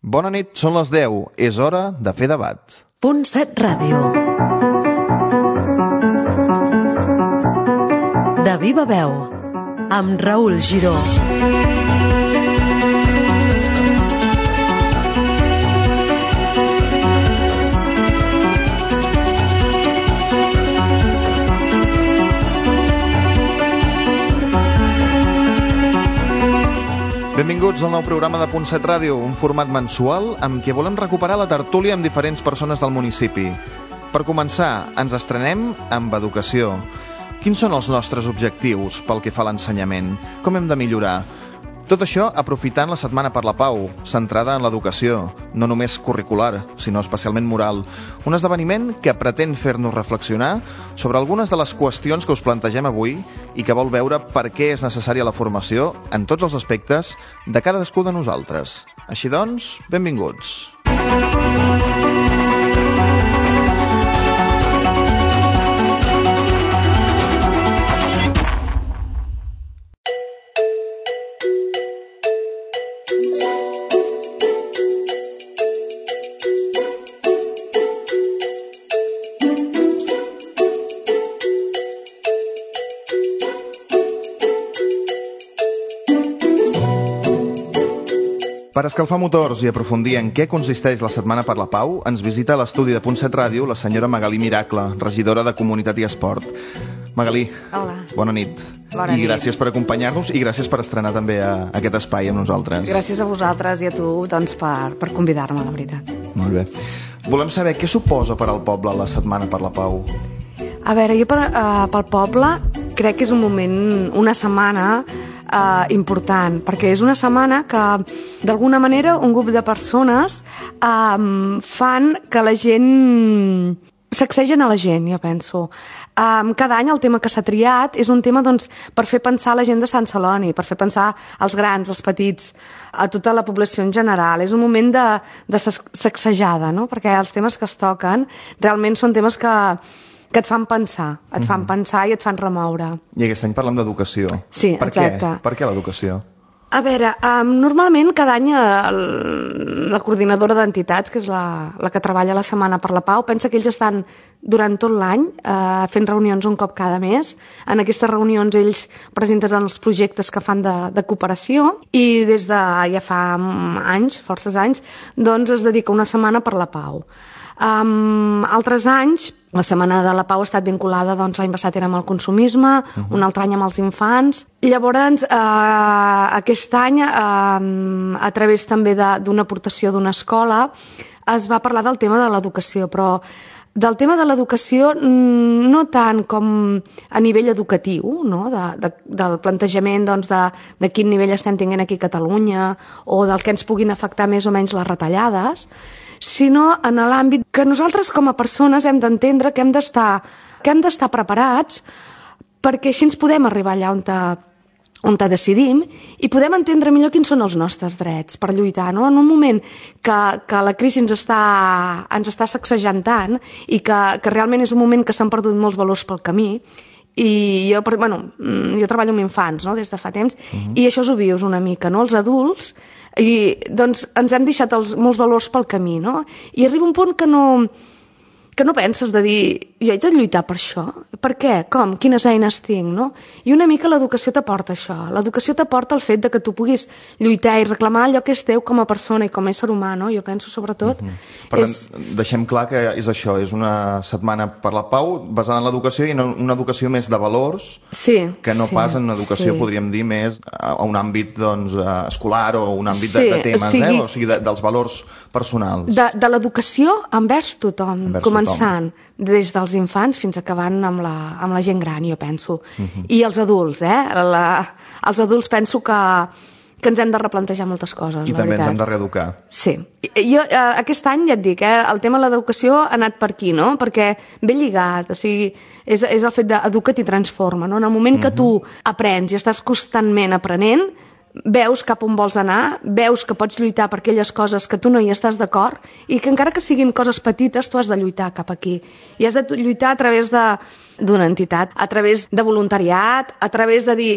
Bona nit, són les 10. És hora de fer debat. Punt 7 Ràdio. De viva veu, amb Raül Giró. Benvinguts al nou programa de Punt 7 Ràdio, un format mensual amb què volem recuperar la tertúlia amb diferents persones del municipi. Per començar, ens estrenem amb educació. Quins són els nostres objectius pel que fa a l'ensenyament? Com hem de millorar? Tot això aprofitant la Setmana per la Pau, centrada en l'educació, no només curricular, sinó especialment moral. Un esdeveniment que pretén fer-nos reflexionar sobre algunes de les qüestions que us plantegem avui i que vol veure per què és necessària la formació en tots els aspectes de cadascú de nosaltres. Així doncs, benvinguts. Per escalfar motors i aprofundir en què consisteix la Setmana per la Pau, ens visita a l'estudi de Punt 7 Ràdio la senyora Magalí Miracle, regidora de Comunitat i Esport. Magalí, hola. Bona nit. Bona nit. I nit. gràcies per acompanyar-nos i gràcies per estrenar també aquest espai amb nosaltres. Gràcies a vosaltres i a tu doncs, per convidar-me, la veritat. Molt bé. Volem saber què suposa per al poble la Setmana per la Pau. A veure, jo pel poble crec que és un moment, una setmana important, perquè és una setmana que d'alguna manera un grup de persones fan que la gent sacsegen a la gent, jo penso. Cada any el tema que s'ha triat és un tema doncs, per fer pensar la gent de Sant Celoni, per fer pensar els grans, els petits, a tota la població en general. És un moment de sacsejada, no? Perquè els temes que es toquen realment són temes que et fan pensar, i et fan remoure. I aquest any parlem d'educació. Sí, exacte. Per què l'educació? A veure, normalment cada any la coordinadora d'entitats, que és la que treballa la Setmana per la Pau, pensa que ells estan durant tot l'any fent reunions un cop cada mes. En aquestes reunions ells presenten els projectes que fan de cooperació i des de ja fa anys, forces anys, doncs es dedica una Setmana per la Pau. Altres anys, la Setmana de la Pau ha estat vinculada, doncs l'any passat era amb el consumisme, un altre any amb els infants. Llavors, aquest any, a través també d'una aportació d'una escola, es va parlar del tema de l'educació, però del tema de l'educació no tant com a nivell educatiu, no? Del plantejament doncs, de quin nivell estem tenint aquí a Catalunya o del que ens puguin afectar més o menys les retallades, sinó en l'àmbit que nosaltres com a persones hem d'entendre que hem d'estar preparats perquè així ens podem arribar allà on decidim i podem entendre millor quins són els nostres drets per lluitar, no? En un moment que la crisi ens està sacsejant tant i que realment és un moment que s'han perdut molts valors pel camí. I jo treballo amb infants, no?, des de fa temps, i això ho vius una mica, no?, els adults, i doncs ens hem deixat molts valors pel camí, no?, i arriba un punt que no penses de dir, jo haig de lluitar per això? Per què? Com? Quines eines tinc, no? I una mica l'educació t'aporta això. L'educació t'aporta el fet de que tu puguis lluitar i reclamar allò que és teu com a persona i com a ésser humà, no? Jo penso, sobretot... Per tant, deixem clar que és això, és una Setmana per la Pau basada en l'educació i en una educació més de valors que no pas en una educació, podríem dir, més a un àmbit doncs, escolar o un àmbit de temes, o sigui, dels valors personals. De l'educació envers tothom, començant des dels infants fins acabant amb la gent gran, jo penso. I els adults, els adults penso que ens hem de replantejar moltes coses, I també ens hem de reeducar. Sí. Jo aquest any, ja et dic, el tema de l'educació ha anat per aquí, no? Perquè ve lligat, o sigui, és el fet d'educa't i transforma, no? En el moment que tu aprens i estàs constantment aprenent, veus cap on vols anar, veus que pots lluitar per aquelles coses que tu no hi estàs d'acord i que encara que siguin coses petites, tu has de lluitar cap aquí. I has de lluitar a través d'una entitat, a través de voluntariat, a través de dir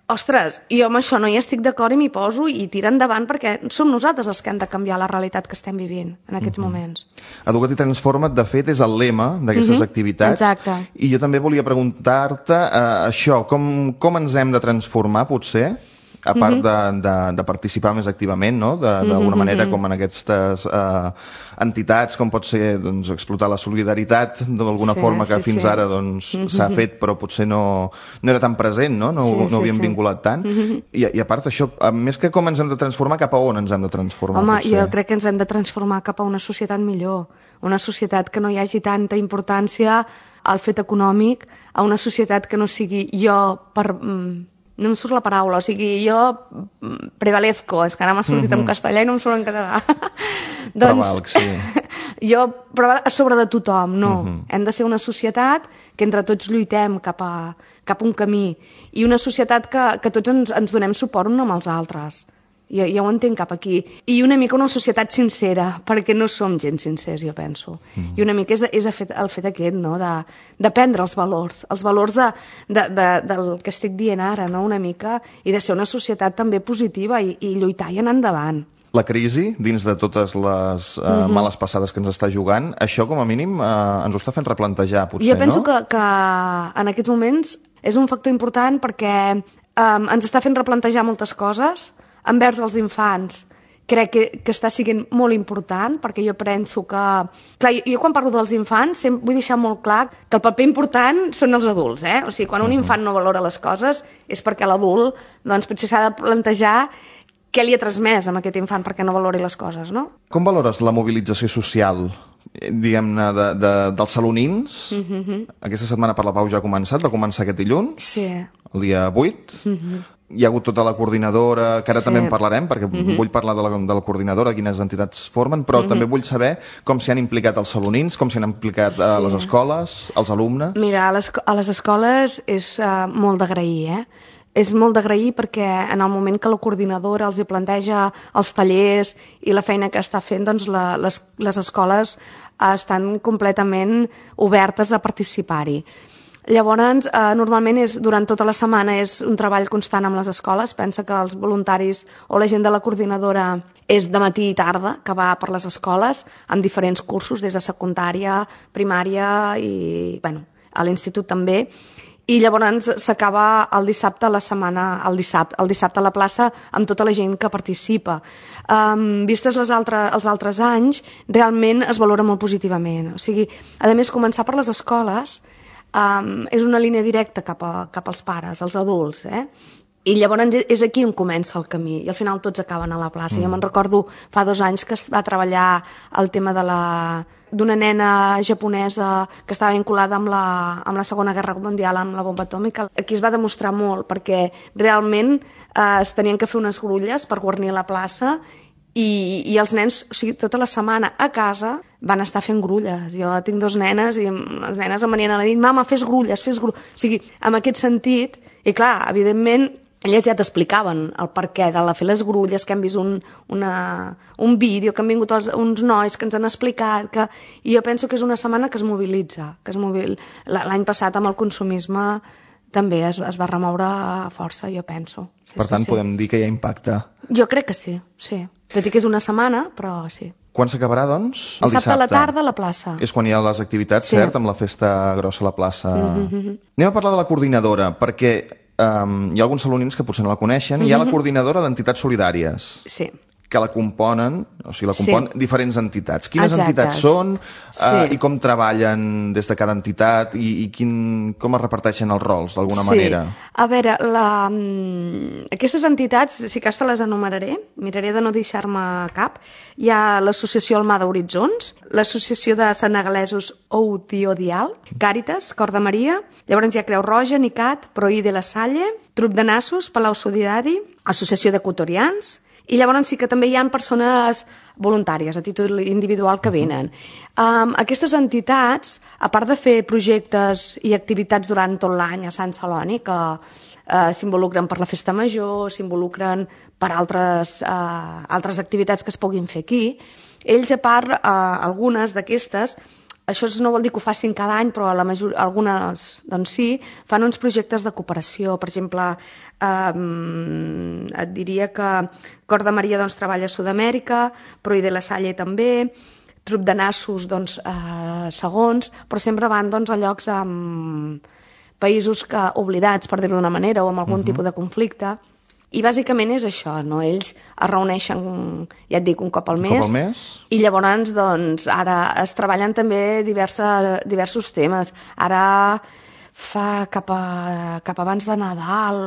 Ostres, jo amb això no hi estic d'acord i m'hi poso i tira endavant perquè som nosaltres els que hem de canviar la realitat que estem vivint en aquests moments. Educa't i transforma't, de fet, és el lema d'aquestes activitats. Exacte. I jo també volia preguntar-te això, com ens hem de transformar, potser, a part de participar més activament, no? D'alguna manera, com en aquestes entitats, com pot ser explotar la solidaritat d'alguna forma que fins ara s'ha fet, però potser no era tan present, no havíem vinculat tant. I a part això, més que com ens hem de transformar, cap a on ens hem de transformar? Home, jo crec que ens hem de transformar cap a una societat millor, una societat que no hi hagi tanta importància al fet econòmic, a una societat que no sigui jo per... No em surt la paraula, o sigui, jo prevalezco, és que ara m'ha sortit en castellà i no em surt en català. Prevalc, sí. Jo prevalc a sobre de tothom, no. Hem de ser una societat que entre tots lluitem cap a un camí i una societat que tots ens donem suport uns amb els altres. Jo ho entenc cap aquí. I una mica una societat sincera, perquè no som gent sincers, jo penso. I una mica és el fet aquest, no?, d'aprendre els valors del que estic dient ara, no?, una mica, i de ser una societat també positiva i lluitar i anar endavant. La crisi, dins de totes les males passades que ens està jugant, això com a mínim ens ho està fent replantejar, potser, no? Jo penso que en aquests moments és un factor important perquè ens està fent replantejar moltes coses envers els infants. Crec que està sent molt important, perquè jo penso que... Clar, jo quan parlo dels infants vull deixar molt clar que el paper important són els adults, eh? O sigui, quan un infant no valora les coses és perquè l'adult, doncs, potser s'ha de plantejar què li ha transmès a aquest infant perquè no valori les coses, no? Com valores la mobilització social, diguem-ne, dels salonins? Aquesta setmana per la Pau ja ha començat, va començar aquest dilluns, el dia 8. Hi ha hagut tota la coordinadora, que ara també en parlarem, perquè vull parlar de la coordinadora, quines entitats formen, però també vull saber com s'hi han implicat els salonins, com s'hi han implicat les escoles, els alumnes. Mira, a les escoles és molt d'agrair, És molt d'agrair perquè en el moment que la coordinadora els hi planteja els tallers i la feina que està fent, doncs les escoles estan completament obertes a participar-hi. Llavors, normalment durant tota la setmana és un treball constant amb les escoles. Pensa que els voluntaris o la gent de la coordinadora és de matí i tarda, que va per les escoles amb diferents cursos, des de secundària, primària i, a l'institut també. I llavors s'acaba el dissabte a la setmana, el dissabte a la plaça, amb tota la gent que participa. Vistes els altres anys, realment es valora molt positivament. O sigui, a més, començar per les escoles és una línia directa cap als pares, als adults, I llavors és aquí on comença el camí, i al final tots acaben a la plaça. Jo me'n recordo fa 2 anys que es va treballar el tema d'una nena japonesa que estava vinculada amb la Segona Guerra Mundial, amb la bomba atòmica. Aquí es va demostrar molt, perquè realment es tenien que fer unes grulles per guarnir la plaça, i els nens, o sigui, tota la setmana a casa van estar fent grulles. Jo tinc 2 nenes i les nenes em venien a la nit: mama, fes grulles. O sigui, en aquest sentit, i clar, evidentment, elles ja t'explicaven el perquè de fer les grulles, que hem vist un vídeo, que han vingut uns nois que ens han explicat, i jo penso que és una setmana que es mobilitza. L'any passat amb el consumisme també es va remoure força, jo penso. Per tant, podem dir que hi ha impacte. Jo crec que sí. Tot i que és una setmana, però sí. Quan s'acabarà, doncs? El dissabte a la tarda a la plaça. És quan hi ha les activitats, cert? Amb la festa grossa a la plaça. Anem a parlar de la coordinadora, perquè hi ha alguns salonins que potser no la coneixen. Hi ha la coordinadora d'entitats solidàries. Sí. Que la componen, o sigui, diferents entitats. Quines entitats són i com treballen des de cada entitat i com es reparteixen els rols, d'alguna manera? A veure, aquestes entitats, si cas te les enumeraré, miraré de no deixar-me cap. Hi ha l'Associació Almada Horitzons, l'Associació de Senegalesos Odial, Càritas, Cor de Maria, llavors hi ha Creu Roja, Nicat, Proí de la Salle, Trup de Nassos, Palau Solidari, Associació d'Equatorians. I llavors sí que també hi ha persones voluntàries, a títol individual, que venen. Aquestes entitats, a part de fer projectes i activitats durant tot l'any a Sant Celoni, que s'involucren per la festa major, s'involucren per altres activitats que es puguin fer aquí, ells, a part, algunes d'aquestes, això no vol dir que ho facin cada any, però algunes doncs sí, fan uns projectes de cooperació. Per exemple, et diria que Cor de Maria doncs, treballa a Sud-amèrica, Proi de la Salle també, Trup de Nassos doncs, segons, però sempre van doncs, a llocs països oblidats, per dir-ho d'una manera, o amb algun tipus de conflicte. I bàsicament és això, no? Ells es reuneixen, ja et dic, un cop al mes, i llavors doncs, ara es treballen també diversos temes. Ara fa cap abans de Nadal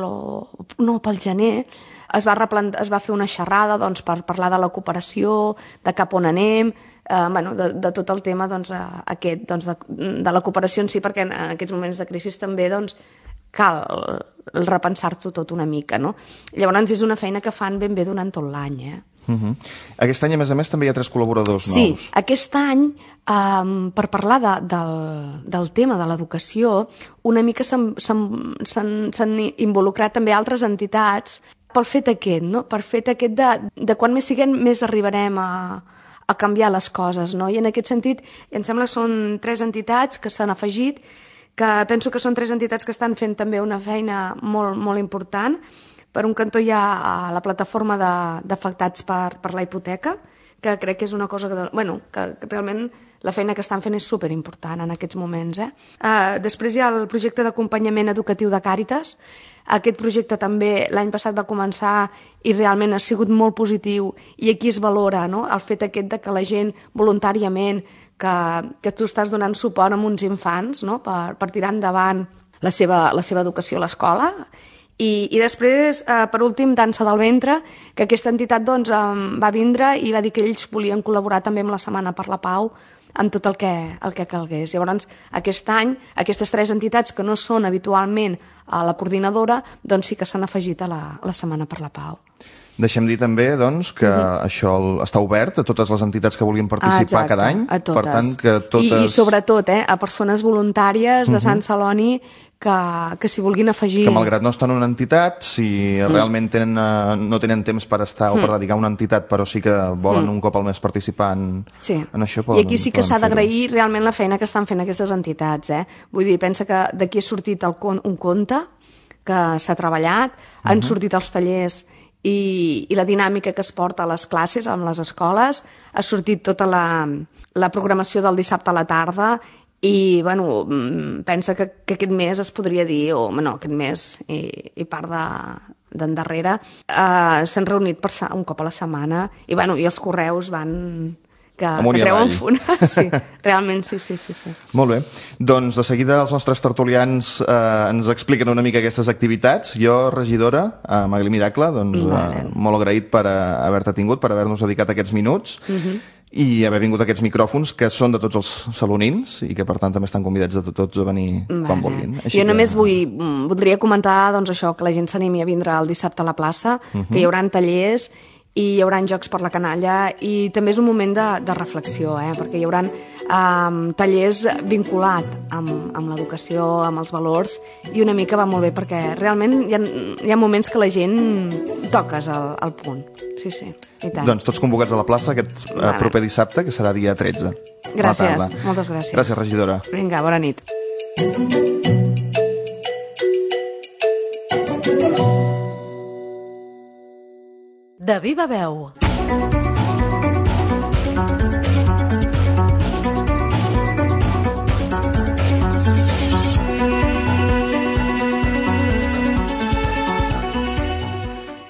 no, pel gener, es va fer una xerrada doncs, per parlar de la cooperació, de cap on anem, de tot el tema doncs, aquest, doncs, de la cooperació en si, perquè en aquests moments de crisi també doncs, cal repensar-t'ho tot una mica, no? Llavors és una feina que fan ben bé durant tot l'any, Aquest any, a més, també hi ha 3 col·laboradors nous. Sí, aquest any, per parlar del tema de l'educació, una mica s'han involucrat també altres entitats pel fet aquest, no? Per fet aquest de quan més siguem, més arribarem a canviar les coses, no? I en aquest sentit, em sembla que són 3 entitats que s'han afegit, que penso que són 3 entitats que estan fent també una feina molt, molt important. Per un cantó hi ha la plataforma d'afectats per la hipoteca, que crec que és una cosa que realment la feina que estan fent és superimportant en aquests moments. Després hi ha el projecte d'acompanyament educatiu de Càritas. Aquest projecte també l'any passat va començar i realment ha sigut molt positiu, i aquí es valora, no? El fet aquest de que la gent voluntàriament que tu estàs donant suport a uns infants, no? per tirar endavant la seva educació a l'escola. I després, per últim, Dansa del Ventre, que aquesta entitat doncs, va vindre i va dir que ells volien col·laborar també amb la Setmana per la Pau, amb tot el que calgués. Llavors, aquest any, aquestes 3 entitats que no són habitualment a la coordinadora, doncs sí que s'han afegit a la Setmana per la Pau. Deixem dir també doncs, que això està obert a totes les entitats que vulguin participar cada any. A totes. Per tant, que totes... I sobretot a persones voluntàries de Sant Celoni que s'hi vulguin afegir. Que malgrat no estan en una entitat, si realment no tenen temps per estar o per dedicar a una entitat, però sí que volen un cop al mes participar en això, poden. I aquí sí que s'ha d'agrair realment la feina que estan fent aquestes entitats. Vull dir, pensa que d'aquí ha sortit un conte que s'ha treballat, han sortit els tallers i la dinàmica que es porta a les classes, amb les escoles, ha sortit tota la programació del dissabte a la tarda i, bueno, pensa que aquest mes es podria dir, aquest mes i part d'endarrere, s'han reunit un cop a la setmana i, bueno, i els correus van... que treuen funa. Sí, realment, sí. Molt bé. Doncs de seguida els nostres tertulians ens expliquen una mica aquestes activitats. Jo, regidora, Magali Miracle, doncs molt agraït per haver-te tingut, per haver-nos dedicat aquests minuts i haver vingut a aquests micròfons que són de tots els salonins i que per tant també estan convidats a tots a venir quan vulguin. Jo només voldria comentar doncs, això, que la gent s'animi a vindre el dissabte a la plaça, que hi haurà tallers i hi haurà jocs per la canalla i també és un moment de reflexió, perquè hi haurà tallers vinculat amb l'educació, amb els valors, i una mica va molt bé perquè realment hi ha moments que la gent toques al punt. Sí, i tant. Doncs tots convocats a la plaça aquest proper dissabte, que serà dia 13. Gràcies, moltes gràcies. Gràcies, regidora. Vinga, bona nit. De viva veu.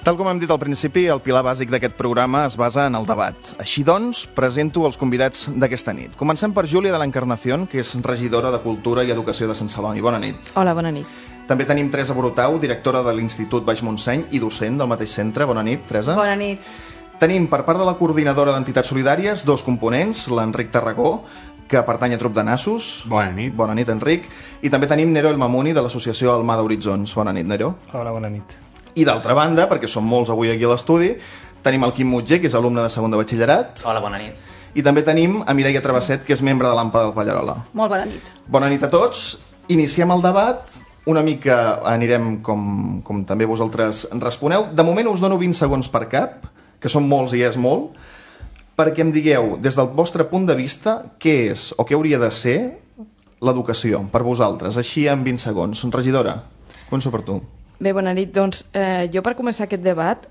Tal com hem dit al principi, el pilar bàsic d'aquest programa es basa en el debat. Així doncs, presento els convidats d'aquesta nit. Comencem per Júlia de la Encarnación, que és regidora de Cultura i Educació de Sant Celoni. Bona nit. Hola, bona nit. També tenim Teresa Borutau, directora de l'Institut Baix Montseny i docent del mateix centre. Bona nit, Teresa. Bona nit. Tenim, per part de la coordinadora d'Entitats Solidàries, 2 components, l'Enric Tarragó, que pertany a Trup de Nassos. Bona nit. Bona nit, Enric. I també tenim Nero El Mamuni, de l'associació Almada Horitzons. Bona nit, Nero. Hola, bona nit. I d'altra banda, perquè som molts avui aquí a l'estudi, tenim el Quim Mutger, que és alumne de segon de batxillerat. Hola, bona nit. I també tenim a Mireia Travesset, que és membre de l'AMPA del Pallarola. Molt bona nit. Bona nit a tots. Iniciem el debat. Una mica anirem com també vosaltres responeu. De moment us dono 20 segons per cap, que són molts i és molt. perquè em digueu, des del vostre punt de vista, què és o què hauria de ser l'educació per vosaltres, així en 20 segons. Regidora, començo per tu. Bé, bona nit. Doncs jo per començar aquest debat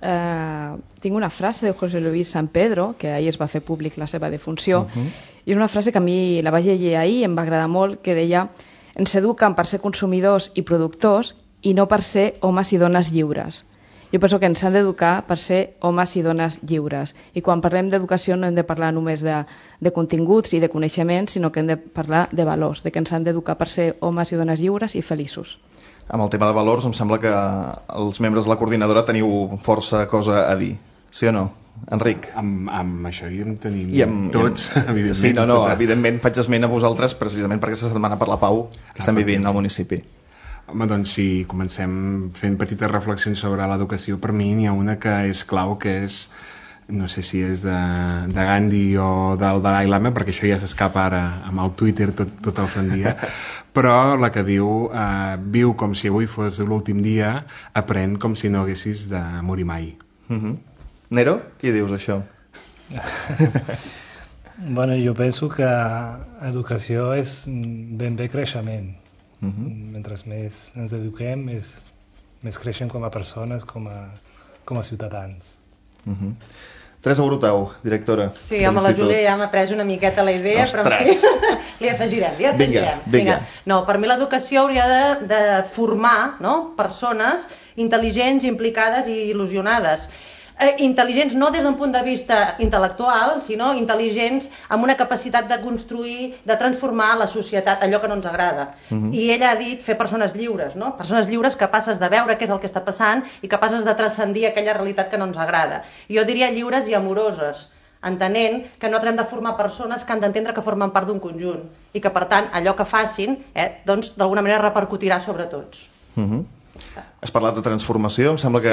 tinc una frase de José Luis San Pedro, que ahir es va fer públic la seva defunció, i és una frase que a mi la vaig llegir ahir i em va agradar molt, que deia: ens eduquen per ser consumidors i productors i no per ser homes i dones lliures. Jo penso que ens han d'educar per ser homes i dones lliures. I quan parlem d'educació no hem de parlar només de continguts i de coneixements, sinó que hem de parlar de valors, de que ens han d'educar per ser homes i dones lliures i feliços. Amb el tema de valors em sembla que els membres de la coordinadora teniu força cosa a dir, sí o no? Enric? Amb això hi en tenim tots, evidentment. Sí, evidentment faig esment a vosaltres precisament per aquesta setmana per la pau que estem vivint al municipi. Home, doncs si comencem fent petites reflexions sobre l'educació, per mi n'hi ha una que és clau, que és, no sé si és de Gandhi o del Dalai Lama, perquè això ja s'escapa ara amb el Twitter tot el sant dia, però la que diu viu com si avui fos l'últim dia, aprèn com si no haguessis de morir mai. Nero, què dius això? Bueno, jo penso que educació és ben bé creixement. Mentre més ens eduquem, més creixem com a persones, com a ciutadans. Teresa Brutau, directora. Sí, home, la Júlia ja m'ha pres una miqueta la idea, però li afegirem. Vinga. No, per mi l'educació hauria de formar persones intel·ligents, implicades i il·lusionades. Intel·ligents no des d'un punt de vista intel·lectual, sinó intel·ligents amb una capacitat de construir, de transformar la societat, allò que no ens agrada. I ella ha dit fer persones lliures, no? Persones lliures capaces de veure què és el que està passant i capaces de transcendir aquella realitat que no ens agrada. Jo diria lliures i amoroses, entenent que no hem de formar persones que han d'entendre que formen part d'un conjunt i que, per tant, allò que facin, doncs, d'alguna manera repercutirà sobre tots. Has parlat de transformació, em sembla que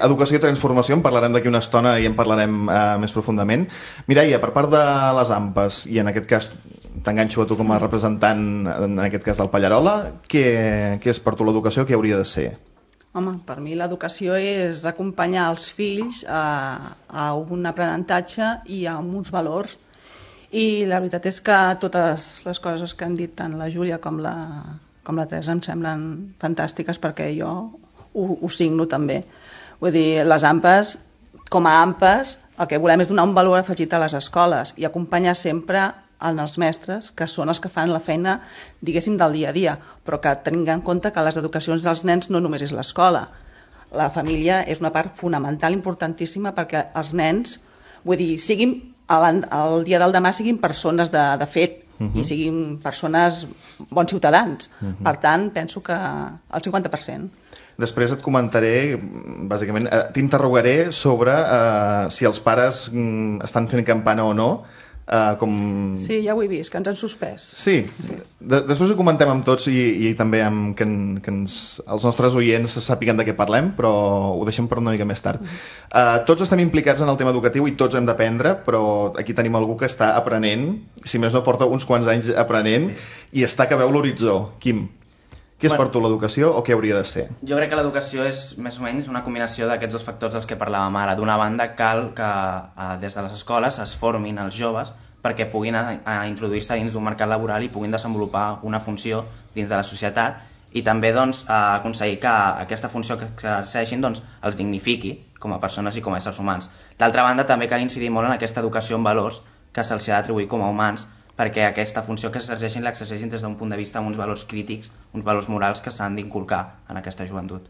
educació i transformació en parlarem d'aquí una estona i en parlarem més profundament. Mireia, per part de les AMPAs, i en aquest cas t'enganxo a tu com a representant, en aquest cas del Pallarola, què és per tu l'educació, què hauria de ser? Home, per mi l'educació és acompanyar els fills a un aprenentatge i a uns valors. I la veritat és que totes les coses que han dit tant la Júlia com la Teresa em semblen fantàstiques, perquè jo ho signo també. Vull dir, les AMPAs, com a AMPAs, el que volem és donar un valor afegit a les escoles i acompanyar sempre els mestres, que són els que fan la feina, diguéssim, del dia a dia, però que tinguin en compte que les educacions dels nens no només és l'escola. La família és una part fonamental, importantíssima, perquè els nens, vull dir, siguin, el dia del demà siguin persones de fet, i siguin persones bons ciutadans. Per tant, penso que el 50%. Després et comentaré, bàsicament, t'interrogaré sobre si els pares estan fent campana o no. Sí, ja ho he vist, que ens han suspès. Sí. Després ho comentem amb tots i també amb que els nostres oients sàpiguen de què parlem, però ho deixem per una mica més tard. Tots estem implicats en el tema educatiu i tots hem d'aprendre, però aquí tenim algú que està aprenent, si més no porta uns quants anys aprenent, i està que veu l'horitzó. Quim, què és per tu l'educació o què hauria de ser? Jo crec que l'educació és més o menys una combinació d'aquests dos factors dels que parlàvem ara. D'una banda, cal que des de les escoles es formin els joves perquè puguin introduir-se dins d'un mercat laboral i puguin desenvolupar una funció dins de la societat, i també aconseguir que aquesta funció que exerceixin els dignifiqui com a persones i com a éssers humans. D'altra banda, també cal incidir molt en aquesta educació en valors que se'ls ha d'atribuir com a humans, perquè aquesta funció que l'exerceixin des d'un punt de vista amb uns valors crítics, uns valors morals que s'han d'inculcar en aquesta joventut.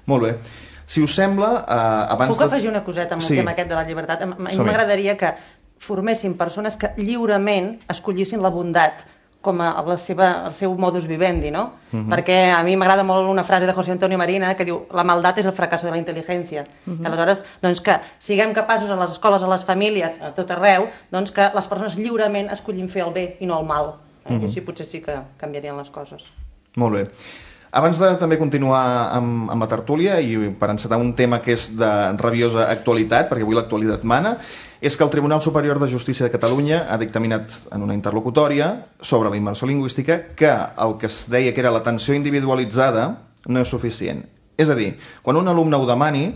Molt bé. Si us sembla, abans... Puc afegir una coseta amb el tema aquest de la llibertat? A mi m'agradaria que formessin persones que lliurement escollissin la bondat com el seu modus vivendi, no? Perquè a mi m'agrada molt una frase de José Antonio Marina que diu: la maldat és el fracasso de la intel·ligència. Aleshores, doncs, que siguem capaços a les escoles, a les famílies, a tot arreu, doncs que les persones lliurement escollin fer el bé i no el mal. I així potser sí que canviarien les coses. Molt bé. Abans de també continuar amb la tertúlia i per encetar un tema que és de rabiosa actualitat, perquè avui l'actualitat mana, és que el Tribunal Superior de Justícia de Catalunya ha dictaminat en una interlocutòria sobre la immersió lingüística que el que es deia que era l'atenció individualitzada no és suficient. És a dir, quan un alumne ho demani,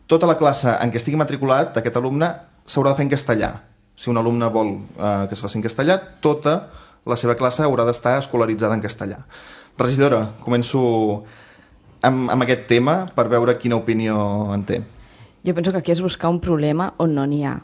tota la classe en què estigui matriculat, aquest alumne s'haurà de fer en castellà. Si un alumne vol que es faci en castellà, tota la seva classe haurà d'estar escolaritzada en castellà. Regidora, començo amb aquest tema per veure quina opinió en té. Jo penso que aquí és buscar un problema on no n'hi ha.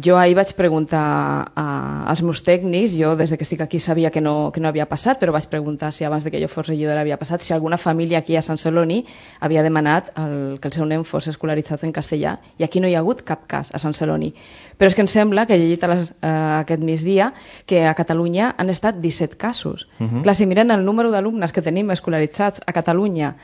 Jo ahir vaig preguntar als meus tècnics, jo des que estic aquí sabia que no havia passat, però vaig preguntar si abans que jo fos regidora havia passat, si alguna família aquí a Sant Celoni havia demanat que el seu nen fos escolaritzat en castellà, i aquí no hi ha hagut cap cas a Sant Celoni. Però és que em sembla, que he llegit aquest migdia, que a Catalunya han estat 17 casos. Clar, si miren el número d'alumnes que tenim escolaritzats a Catalunya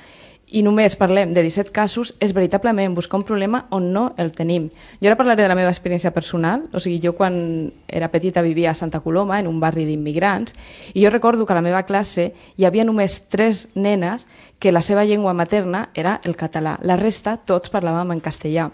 i només parlem de 17 casos, és veritablement buscar un problema on no el tenim. Jo ara parlaré de la meva experiència personal. O sigui, jo quan era petita vivia a Santa Coloma, en un barri d'immigrants, i jo recordo que a la meva classe hi havia només 3 nenes que la seva llengua materna era el català. La resta, tots parlàvem en castellà.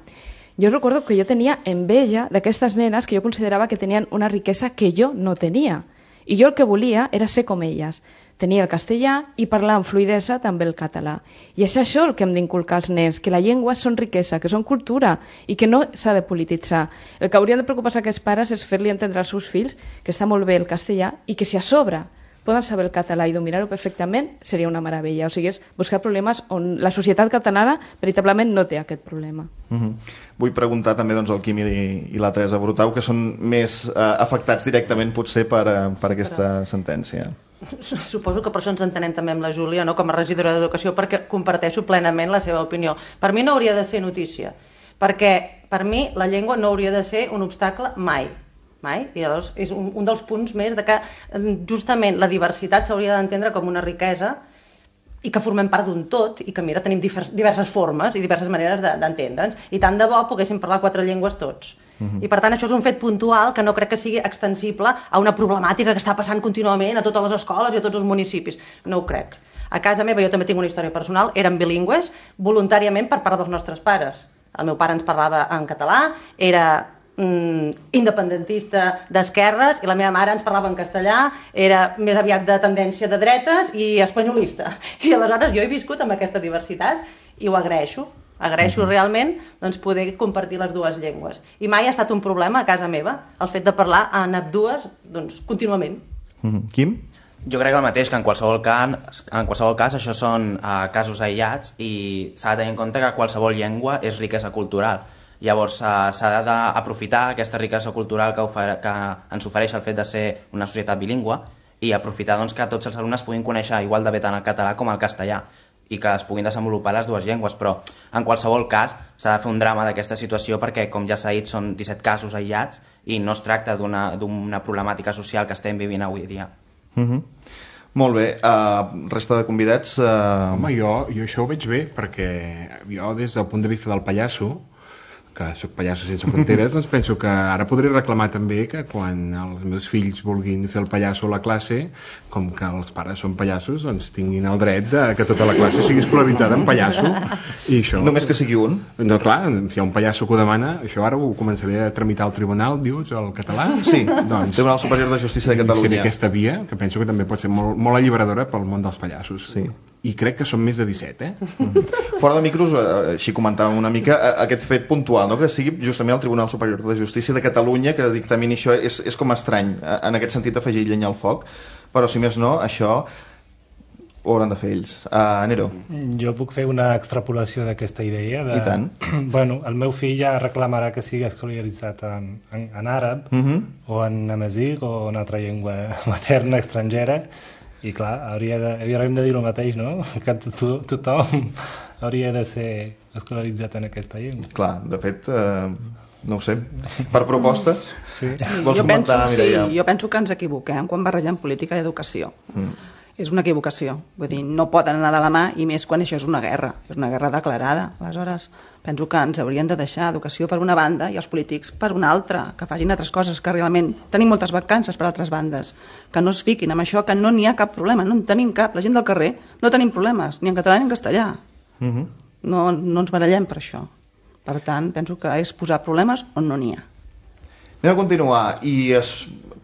Jo recordo que jo tenia enveja d'aquestes nenes que jo considerava que tenien una riquesa que jo no tenia. I jo el que volia era ser com elles. Tenia el castellà i parlar amb fluïdesa també el català. I és això el que hem d'inculcar als nens, que la llengua són riquesa, que són cultura i que no s'ha de polititzar. El que haurien de preocupar-se aquests pares és fer-li entendre als seus fills que està molt bé el castellà i que si a sobre poden saber el català i dominar-ho perfectament, seria una meravella. O sigui, és buscar problemes on la societat catalana veritablement no té aquest problema. Vull preguntar també al Quim i la Teresa Brutau, que són més afectats directament potser per aquesta sentència. Suposo que per això ens entenem també amb la Júlia, no? Com a regidora d'Educació, perquè comparteixo plenament la seva opinió. Per mi no hauria de ser notícia, perquè per mi la llengua no hauria de ser un obstacle mai. I llavors és un dels punts més de que justament la diversitat s'hauria d'entendre com una riquesa i que formem part d'un tot i que, mira, tenim diverses formes i diverses maneres d'entendre'ns, i tant de bo poguéssim parlar 4 llengües tots. I per tant això és un fet puntual que no crec que sigui extensible a una problemàtica que està passant contínuament a totes les escoles i a tots els municipis. No ho crec. A casa meva jo també tinc una història personal, érem bilingües voluntàriament per part dels nostres pares. El meu pare ens parlava en català, era independentista d'esquerres, i la meva mare ens parlava en castellà, era més aviat de tendència de dretes i espanyolista. I aleshores jo he viscut amb aquesta diversitat i ho agraeixo. Agraeixo realment poder compartir les dues llengües. I mai ha estat un problema a casa meva el fet de parlar en ambdues contínuament. Quim? Jo crec el mateix, que en qualsevol cas això són casos aïllats i s'ha de tenir en compte que qualsevol llengua és riquesa cultural. Llavors s'ha d'aprofitar aquesta riquesa cultural que ens ofereix el fet de ser una societat bilingüe i aprofitar que tots els alumnes puguin conèixer igual de bé tant el català com el castellà i que es puguin desenvolupar les dues llengües, però en qualsevol cas s'ha de fer un drama d'aquesta situació perquè, com ja s'ha dit, són 17 casos aïllats i no es tracta d'una problemàtica social que estem vivint avui dia. Molt bé, resta de convidats... Home, jo això ho veig bé, perquè jo des del punt de vista del pallasso, que soc pallasso sense fronteres, doncs penso que ara podré reclamar també que quan els meus fills vulguin fer el pallasso a la classe, com que els pares són pallassos, doncs tinguin el dret de que tota la classe sigui escolaritzada en pallasso. I això... Només que sigui un? No, clar, si hi ha un pallasso que ho demana, això ara ho començaré a tramitar al tribunal, dius, el català? Sí, doncs, Tribunal Superior de Justícia de Catalunya. Seré aquesta via, que penso que també pot ser molt alliberadora pel món dels pallassos. Sí. I crec que són més de 17, Fora de micros, així comentàvem una mica aquest fet puntual, no? Que sigui justament el Tribunal Superior de Justícia de Catalunya que dictamini això, és com estrany en aquest sentit afegir llenya al foc, però si més no, això ho hauran de fer ells. Nero. Jo puc fer una extrapolació d'aquesta idea I tant. Bueno, el meu fill ja reclamarà que sigui escolaritzat en àrab o en amazigh o en altra llengua materna estrangera. I clar, hauríem de dir el mateix, no? Que tothom hauria de ser escolaritzat en aquesta llengua. Clar, de fet, no ho sé, per propostes? Sí. Vols comentar, Mireia? Jo penso que ens equivoquem quan barregem política i educació. És una equivocació. Vull dir, no poden anar de la mà, i més quan això és una guerra declarada. Aleshores, penso que ens haurien de deixar educació per una banda i els polítics per una altra, que facin altres coses, que realment tenim moltes vacances per altres bandes, que no es fiquin amb això, que no n'hi ha cap problema, no en tenim cap. La gent del carrer no tenim problemes, ni en català ni en castellà. No ens barallem per això. Per tant, penso que és posar problemes on no n'hi ha. Anem a continuar i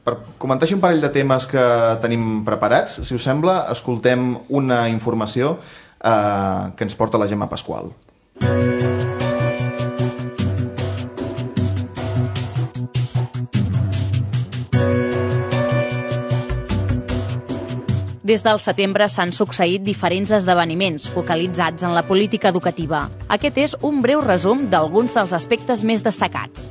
per comentar un parell de temes que tenim preparats, si us sembla, escoltem una informació que ens porta la Gemma Pasqual. Des del setembre s'han succeït diferents esdeveniments focalitzats en la política educativa. Aquest és un breu resum d'alguns dels aspectes més destacats.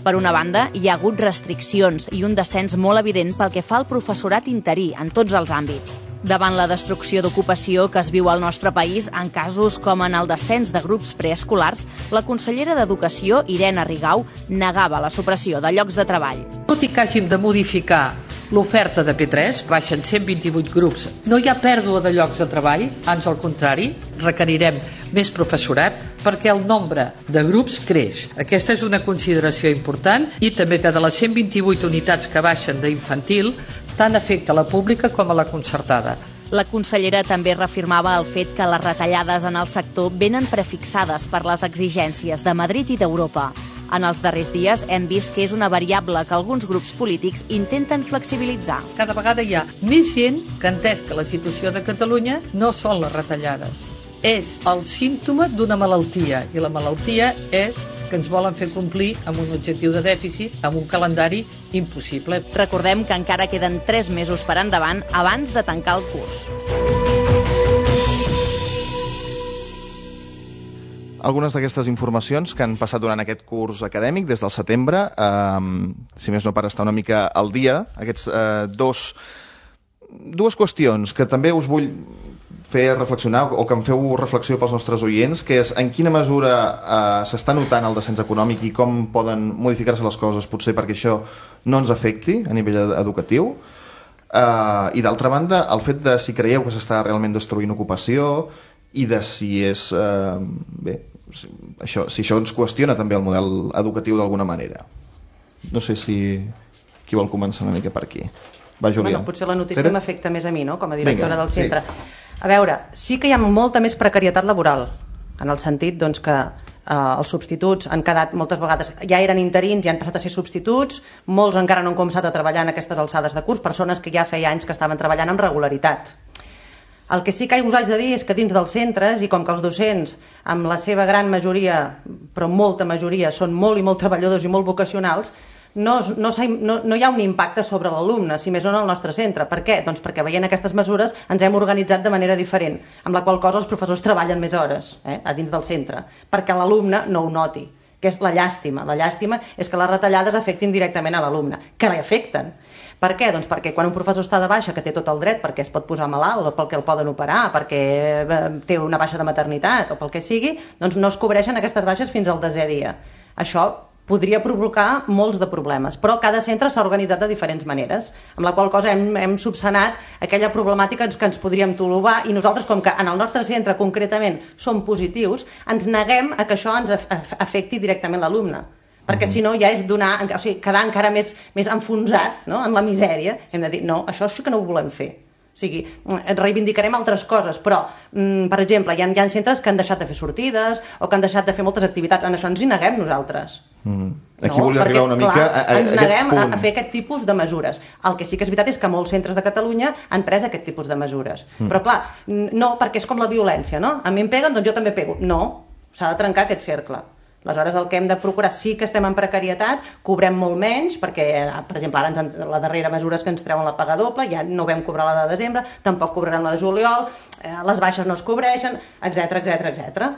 Per una banda, hi ha hagut restriccions i un descens molt evident pel que fa al professorat interí en tots els àmbits. Davant la destrucció d'ocupació que es viu al nostre país, en casos com en el descens de grups preescolars, la consellera d'Educació, Irene Rigau, negava la supressió de llocs de treball. Tot i que hàgim de modificar l'oferta de P3, baixen 128 grups. No hi ha pèrdua de llocs de treball, ans al contrari, requerirem més professorat perquè el nombre de grups creix. Aquesta és una consideració important i també que de les 128 unitats que baixen d'infantil, tant afecta a la pública com a la concertada. La consellera també reafirmava el fet que les retallades en el sector venen prefixades per les exigències de Madrid i d'Europa. En els darrers dies hem vist que és una variable que alguns grups polítics intenten flexibilitzar. Cada vegada hi ha més gent que ha entès que la situació de Catalunya no són les retallades. És el símptoma d'una malaltia, i la malaltia és que ens volen fer complir amb un objectiu de dèficit, amb un calendari impossible. Recordem que encara queden 3 mesos per endavant abans de tancar el curs. Algunes d'aquestes informacions que han passat durant aquest curs acadèmic des del setembre, si més no per estar una mica al dia, aquests dues qüestions que també us vull fer reflexionar o que em feu reflexió pels nostres oients, que és en quina mesura s'està notant el descens econòmic i com poden modificar-se les coses potser perquè això no ens afecti a nivell educatiu, i d'altra banda el fet de si creieu que s'està realment destruint ocupació i de si és si això ens qüestiona també el model educatiu d'alguna manera. No sé si qui vol començar una mica per aquí. Va, Júlia. Potser la notícia m'afecta més a mi, no?, com a directora del centre. A veure, sí que hi ha molta més precarietat laboral, en el sentit doncs, que els substituts han quedat moltes vegades, ja eren interins i han passat a ser substituts, molts encara no han començat a treballar en aquestes alçades de curs, persones que ja feia anys que estaven treballant amb regularitat. El que sí que us haig de dir és que dins dels centres, i com que els docents, amb la seva gran majoria, però molta majoria, són molt i molt treballadors i molt vocacionals, no hi ha un impacte sobre l'alumne, si més no en el nostre centre. Per què? Doncs perquè veient aquestes mesures ens hem organitzat de manera diferent, amb la qual cosa els professors treballen més hores a dins del centre, perquè l'alumne no ho noti, que és la llàstima. La llàstima és que les retallades afectin directament a l'alumne, que l'afecten. Per què? Doncs perquè quan un professor està de baixa, que té tot el dret perquè es pot posar malalt o perquè el poden operar, perquè té una baixa de maternitat o pel que sigui, doncs no es cobreixen aquestes baixes fins al 10è dia. Això podria provocar molts de problemes, però cada centre s'ha organitzat de diferents maneres, amb la qual cosa hem subsanat aquella problemàtica que ens podríem trobar, i nosaltres, com que en el nostre centre concretament som positius, ens neguem a que això ens afecti directament l'alumne, perquè si no ja és quedar encara més enfonsat en la misèria. Hem de dir, no, això sí que no ho volem fer. O sigui, reivindicarem altres coses, però, per exemple, hi ha centres que han deixat de fer sortides o que han deixat de fer moltes activitats. En això ens hi neguem nosaltres. Aquí volia arribar una mica a ens neguem a fer aquest tipus de mesures. El que sí que és veritat és que molts centres de Catalunya han pres aquest tipus de mesures. Però clar, no, perquè és com la violència, no? A mi em peguen, doncs jo també pego. No, s'ha de trencar aquest cercle. Aleshores, el que hem de procurar, sí que estem en precarietat, cobrem molt menys, perquè, per exemple, ara la darrera mesura és que ens treuen la paga doble, ja no vam cobrar la de desembre, tampoc cobrarem la de juliol, les baixes no es cobreixen, etc.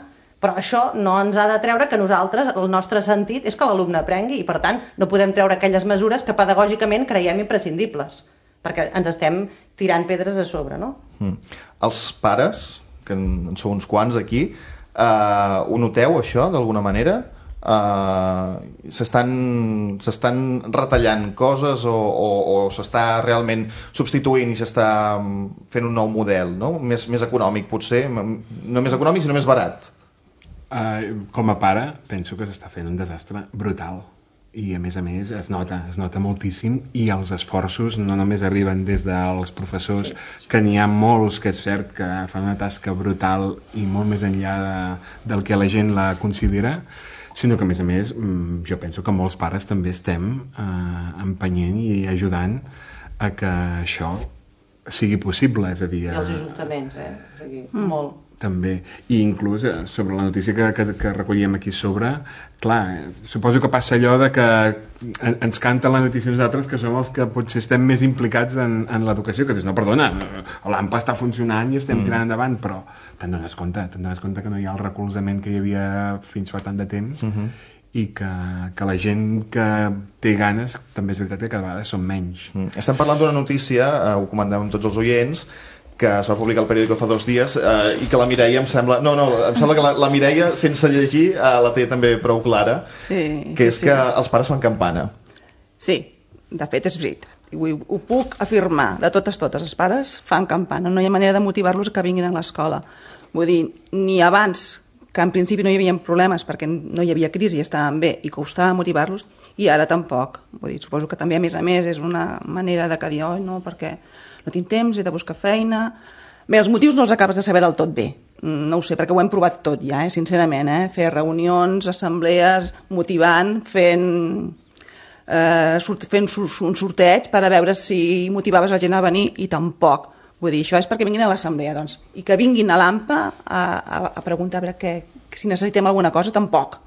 Però això no ens ha de treure que nosaltres, el nostre sentit és que l'alumne aprengui, i per tant no podem treure aquelles mesures que pedagògicament creiem imprescindibles, perquè ens estem tirant pedres a sobre, no? Els pares, que en sou uns quants aquí, ho noteu, això, d'alguna manera? S'estan retallant coses o s'està realment substituint i s'està fent un nou model, no? Més econòmic, potser. No més econòmic, sinó més barat. Com a pare, penso que s'està fent un desastre brutal. I a més es nota moltíssim, i els esforços no només arriben des dels professors, que n'hi ha molts que és cert que fan una tasca brutal i molt més enllà del que la gent la considera, sinó que a més jo penso que molts pares també estem empenyent i ajudant a que això sigui possible, és a dir... I els ajuntaments, molt. També. I inclús sobre la notícia que recollíem aquí sobre, clar, suposo que passa allò de que ens canta la notícia nosaltres que som els que potser estem més implicats en l'educació, que dius, no, perdona, l'AMPA està funcionant i estem tirant endavant, però te'n dones compte que no hi ha el recolzament que hi havia fins fa tant de temps i que la gent que té ganes també és veritat que cada vegada són menys. Estem parlant d'una notícia, ho comentàvem tots els oients, que es va publicar al periòdico fa 2 dies i que la Mireia em sembla que la Mireia, sense llegir, la té també prou clara, que és que els pares fan campana. Sí, de fet és veritat. Ho puc afirmar de totes, els pares fan campana, no hi ha manera de motivar-los que vinguin a l'escola. Vull dir, ni abans, que en principi no hi havia problemes perquè no hi havia crisi i estaven bé i costava motivar-los, i ara tampoc. Vull dir, suposo que també a més és una manera de que dir, no, perquè no tinc temps, he de buscar feina... Bé, els motius no els acabes de saber del tot bé. No ho sé, perquè ho hem provat tot ja, sincerament. Fer reunions, assemblees, motivant, fent un sorteig per a veure si motivaves la gent a venir i tampoc. Vull dir, això és perquè vinguin a l'assemblea, doncs. I que vinguin a l'AMPA a preguntar a veure si necessitem alguna cosa, tampoc.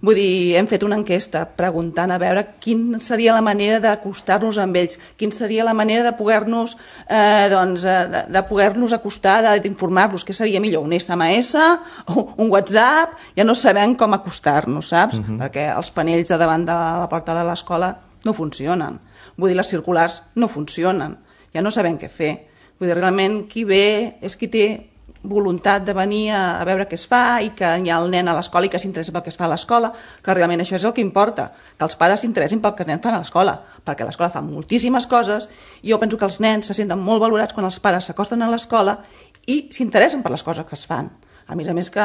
Vull dir, hem fet una enquesta preguntant a veure quina seria la manera d'acostar-nos amb ells, quina seria la manera de poder-nos acostar, d'informar-los, què seria millor, un SMS, un WhatsApp, ja no sabem com acostar-nos, saps? Perquè els panells de davant de la porta de l'escola no funcionen. Vull dir, les circulars no funcionen, ja no sabem què fer. Vull dir, realment qui ve és qui té voluntat de venir a veure què es fa i que hi ha el nen a l'escola i que s'interessa pel que es fa a l'escola, que realment això és el que importa, que els pares s'interessin pel que els nens fan a l'escola, perquè l'escola fa moltíssimes coses i jo penso que els nens se senten molt valorats quan els pares s'acosten a l'escola i s'interessen per les coses que es fan. A més que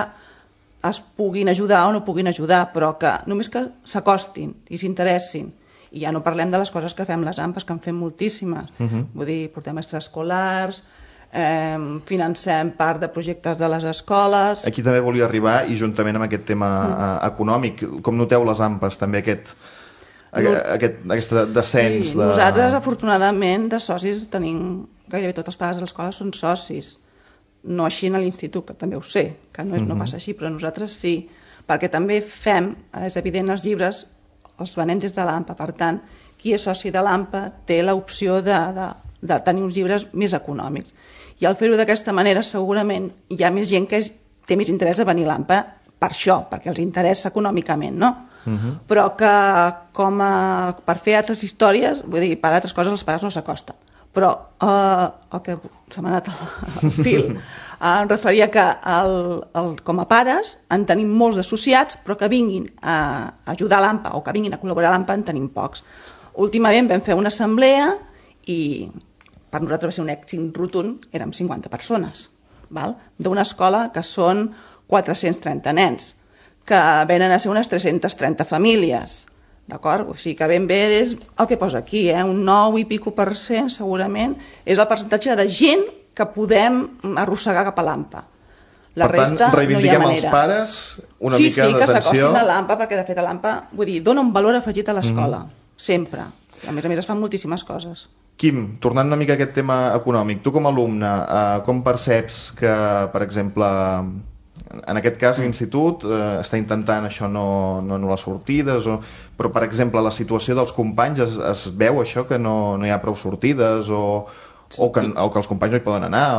es puguin ajudar o no puguin ajudar, però que només que s'acostin i s'interessin. I ja no parlem de les coses que fem les AMPAs, que en fem moltíssimes. Vull dir, portem extraescolars, financem part de projectes de les escoles. Aquí també volia arribar, i juntament amb aquest tema econòmic, com noteu les AMPAs també aquest descens? Nosaltres, afortunadament, de socis tenim gairebé tots els pares de l'escola són socis. No així a l'institut, que també ho sé, que no passa així, però nosaltres sí, perquè també fem, és evident, els llibres els venem des de l'AMPA, per tant, qui és soci de l'AMPA té l'opció de tenir uns llibres més econòmics. I al fer-ho d'aquesta manera segurament hi ha més gent que té més interès a venir a l'AMPA per això, perquè els interessa econòmicament, no? Però que per fer altres històries, vull dir, per altres coses els pares no s'acosten. Però el que se m'ha anat al fil em referia que com a pares en tenim molts associats, però que vinguin a ajudar a l'AMPA o que vinguin a col·laborar a l'AMPA en tenim pocs. Últimament vam fer una assemblea i per nosaltres va ser un èxit rotund, érem 50 persones, d'una escola que són 430 nens, que venen a ser unes 330 famílies, d'acord? O sigui que ben bé és el que posa aquí, un 9 i pico % segurament, és el percentatge de gent que podem arrossegar cap a l'AMPA. La resta no hi ha manera. Els pares una mica d'atenció. Sí, que s'acostin a l'AMPA, perquè de fet a l'AMPA, vull dir, dona un valor afegit a l'escola, sempre. A més es fan moltíssimes coses. Quim, tornant una mica a aquest tema econòmic, tu com a alumne, com perceps que, per exemple, en aquest cas l'institut està intentant això no les sortides, però per exemple la situació dels companys es veu això que no hi ha prou sortides o que els companys no hi poden anar?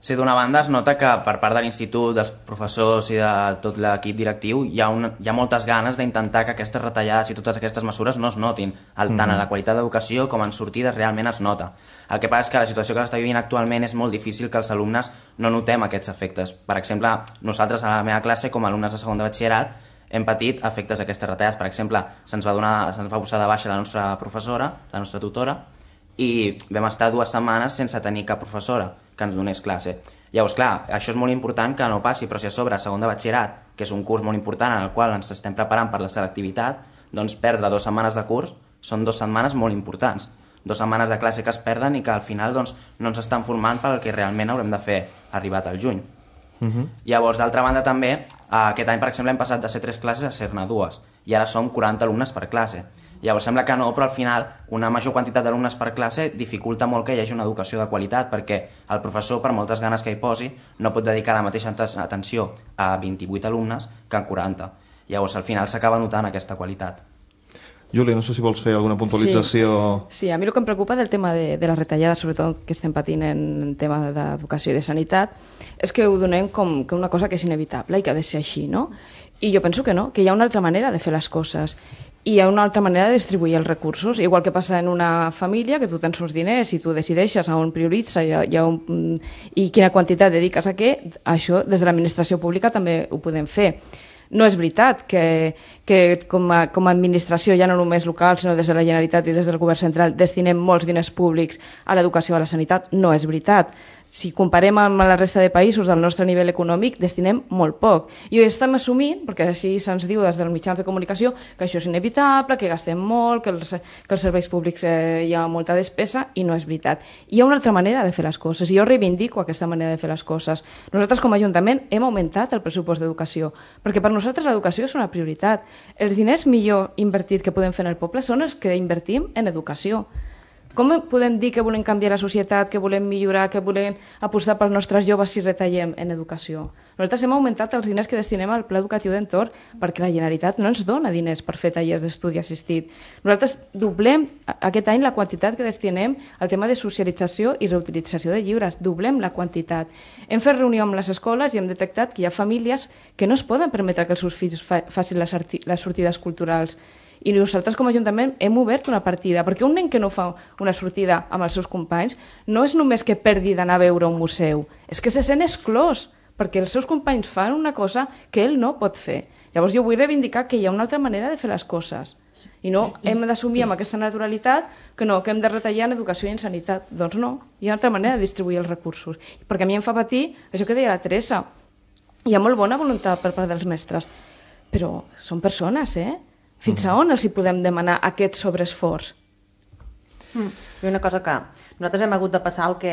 Sí, d'una banda es nota que per part de l'institut, dels professors i de tot l'equip directiu hi ha moltes ganes d'intentar que aquestes retallades i totes aquestes mesures no es notin, tant en la qualitat d'educació com en sortides realment es nota. El que passa és que la situació que s'està vivint actualment és molt difícil que els alumnes no notem aquests efectes. Per exemple, nosaltres a la meva classe, com a alumnes de segon de batxillerat, hem patit efectes d'aquestes retallades. Per exemple, se'ns va posar de baixa la nostra professora, la nostra tutora, i vam estar 2 setmanes sense tenir cap professora que ens donés classe. Llavors, clar, això és molt important que no passi, però si a sobre segon de batxillerat, que és un curs molt important en el qual ens estem preparant per la selectivitat, doncs perdre 2 setmanes de curs són 2 setmanes molt importants. 2 setmanes de classe que es perden i que al final doncs, no ens estan formant pel que realment haurem de fer arribat al juny. Llavors, d'altra banda també, aquest any, per exemple, hem passat de ser 3 classes a ser-ne 2 i ara som 40 alumnes per classe. Llavors sembla que no, però al final una major quantitat d'alumnes per classe dificulta molt que hi hagi una educació de qualitat, perquè el professor, per moltes ganes que hi posi, no pot dedicar la mateixa atenció a 28 alumnes que a 40. Llavors al final s'acaba notant aquesta qualitat. Júlia, no sé si vols fer alguna puntualització... Sí, a mi el que em preocupa del tema de les retallades, sobretot que estem patint en tema d'educació i de sanitat, és que ho donem com que una cosa que és inevitable i que ha de ser així, no? I jo penso que no, que hi ha una altra manera de fer les coses. I hi ha una altra manera de distribuir els recursos, igual que passa en una família, que tu tens uns diners i tu decideixes on prioritza i quina quantitat dediques a què, això des de l'administració pública també ho podem fer. No és veritat que com a administració, ja no només local, sinó des de la Generalitat i des del Govern central, destinem molts diners públics a l'educació i a la sanitat. No és veritat. Si comparem amb la resta de països del nostre nivell econòmic, destinem molt poc. I ho estem assumint, perquè així se'ns diu des dels mitjans de comunicació, que això és inevitable, que gastem molt, que els serveis públics hi ha molta despesa, i no és veritat. Hi ha una altra manera de fer les coses, i jo reivindico aquesta manera de fer les coses. Nosaltres, com a Ajuntament, hem augmentat el pressupost d'educació, perquè per nosaltres l'educació és una prioritat. Els diners millor invertits que podem fer en el poble són els que invertim en educació. Com podem dir que volem canviar la societat, que volem millorar, que volem apostar pels nostres joves si retallem en educació? Nosaltres hem augmentat els diners que destinem al pla educatiu d'entorn perquè la Generalitat no ens dona diners per fer tallers d'estudi assistit. Nosaltres doblem aquest any la quantitat que destinem al tema de socialització i reutilització de llibres. Doblem la quantitat. Hem fet reunió amb les escoles i hem detectat que hi ha famílies que no es poden permetre que els seus fills facin les sortides culturals. I nosaltres com a Ajuntament hem obert una partida, perquè un nen que no fa una sortida amb els seus companys no és només que perdi d'anar a veure un museu, és que se sent exclòs, perquè els seus companys fan una cosa que ell no pot fer. Llavors jo vull reivindicar que hi ha una altra manera de fer les coses, i no hem d'assumir amb aquesta naturalitat que no, que hem de retallar en educació i en sanitat. Doncs no, hi ha una altra manera de distribuir els recursos, perquè a mi em fa patir això que deia la Teresa. Hi ha molt bona voluntat per part dels mestres, però són persones, Fins a on els hi podem demanar aquest sobreesforç? I una cosa que nosaltres hem hagut de passar el que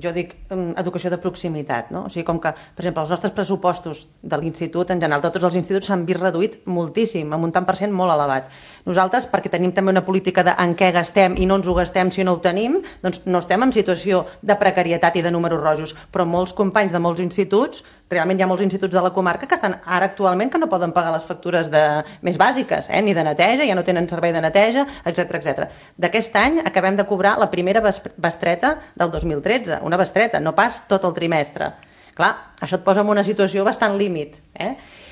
jo dic educació de proximitat, no? O sigui, com que, per exemple, els nostres pressupostos de l'institut, en general, de tots els instituts s'han vist reduït moltíssim, amb un tant per cent molt elevat. Nosaltres, perquè tenim també una política de en què gastem i no ens ho gastem si no ho tenim, doncs no estem en situació de precarietat i de números rojos, però molts companys de molts instituts, realment hi ha molts instituts de la comarca que estan ara actualment que no poden pagar les factures més bàsiques, ni de neteja, ja no tenen servei de neteja, etc. D'aquest any acabem de cobrar la primera bestreta del 2013, una bestreta, no pas tot el trimestre. Clar, això et posa en una situació bastant límit.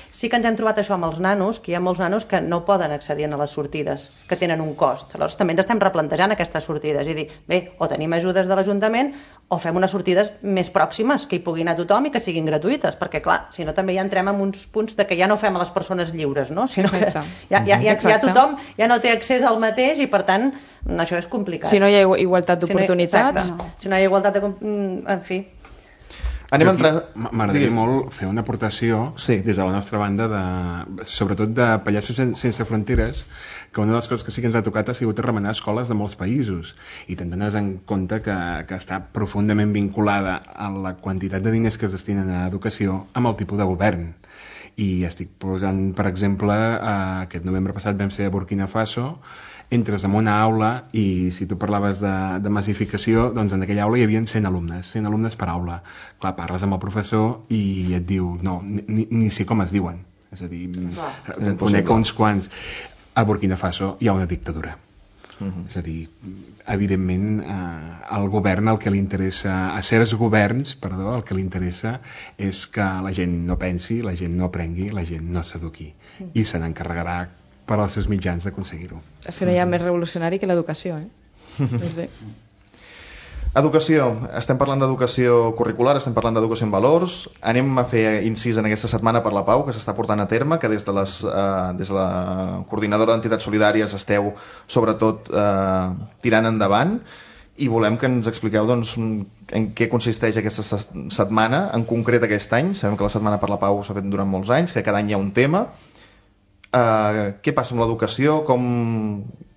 Sí que ens hem trobat això amb els nanos, que hi ha molts nanos que no poden accedir a les sortides, que tenen un cost. Aleshores també ens estem replantejant aquestes sortides i dir, bé, o tenim ajudes de l'Ajuntament o fem unes sortides més pròximes, que hi pugui anar tothom i que siguin gratuïtes, perquè clar, si no també ja entrem en uns punts de que ja no fem a les persones lliures, no? Sinó que ja tothom ja no té accés al mateix i per tant això és complicat. Si no hi ha igualtat d'oportunitats. Si no hi ha igualtat en fi. M'agradaria molt fer una aportació des de la nostra banda, sobretot de Pallassos Sense Fronteres, que una de les coses que sí que ens ha tocat ha sigut remenar escoles de molts països, i te'n dones en compte que està profundament vinculada a la quantitat de diners que es destinen a educació amb el tipus de govern. I estic posant, per exemple, aquest novembre passat vam ser a Burkina Faso, entres en una aula i si tu parlaves de massificació, doncs en aquella aula hi havia 100 alumnes per aula. Clar, parles amb el professor i et diu, no, ni sé com es diuen. És a dir, conec uns quants. A Burkina Faso hi ha una dictadura. És a dir, evidentment, al govern el que li interessa, a certs governs, perdó, el que li interessa és que la gent no pensi, la gent no aprengui, la gent no s'eduqui. I se n'encarregarà per als seus mitjans d'aconseguir-ho. És que no hi ha més revolucionari que l'educació, Sí. Educació. Estem parlant d'educació curricular, estem parlant d'educació en valors. Anem a fer incís en aquesta setmana per la Pau, que s'està portant a terme, que des de la coordinadora d'entitats solidàries esteu, sobretot, tirant endavant, i volem que ens expliqueu doncs, en què consisteix aquesta setmana, en concret aquest any. Sabem que la Setmana per la Pau s'ha fet durant molts anys, que cada any hi ha un tema. Què passa amb l'educació? Com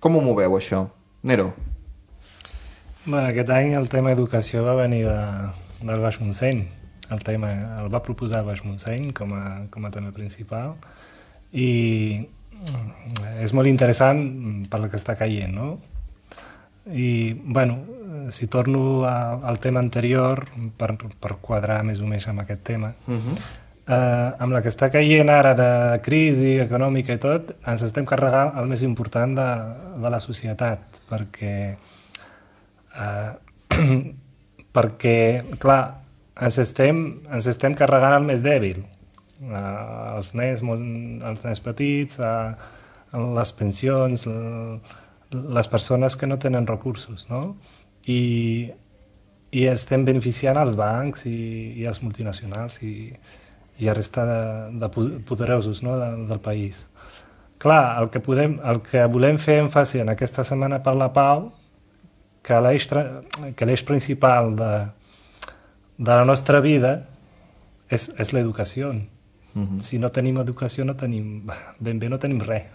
ho moveu, això? Nero? Aquest any el tema educació va venir del Baix Montseny. El va proposar Baix Montseny com a tema principal i és molt interessant per la que està caient, no? I, bueno, si torno al tema anterior, per quadrar més o menys amb aquest tema, amb la que està caient ara de crisi econòmica i tot, ens estem carregant el més important de la societat, perquè, clar, ens estem carregant el més dèbil, els nens petits, les pensions, les persones que no tenen recursos, no? I estem beneficiant els bancs i els multinacionals i la resta de poderosos, no? del país. Clar, el que volem fer èmfasi en aquesta Setmana per la Pau, que l'eix principal de la nostra vida és l'educació. Si no tenim educació, ben bé no tenim res.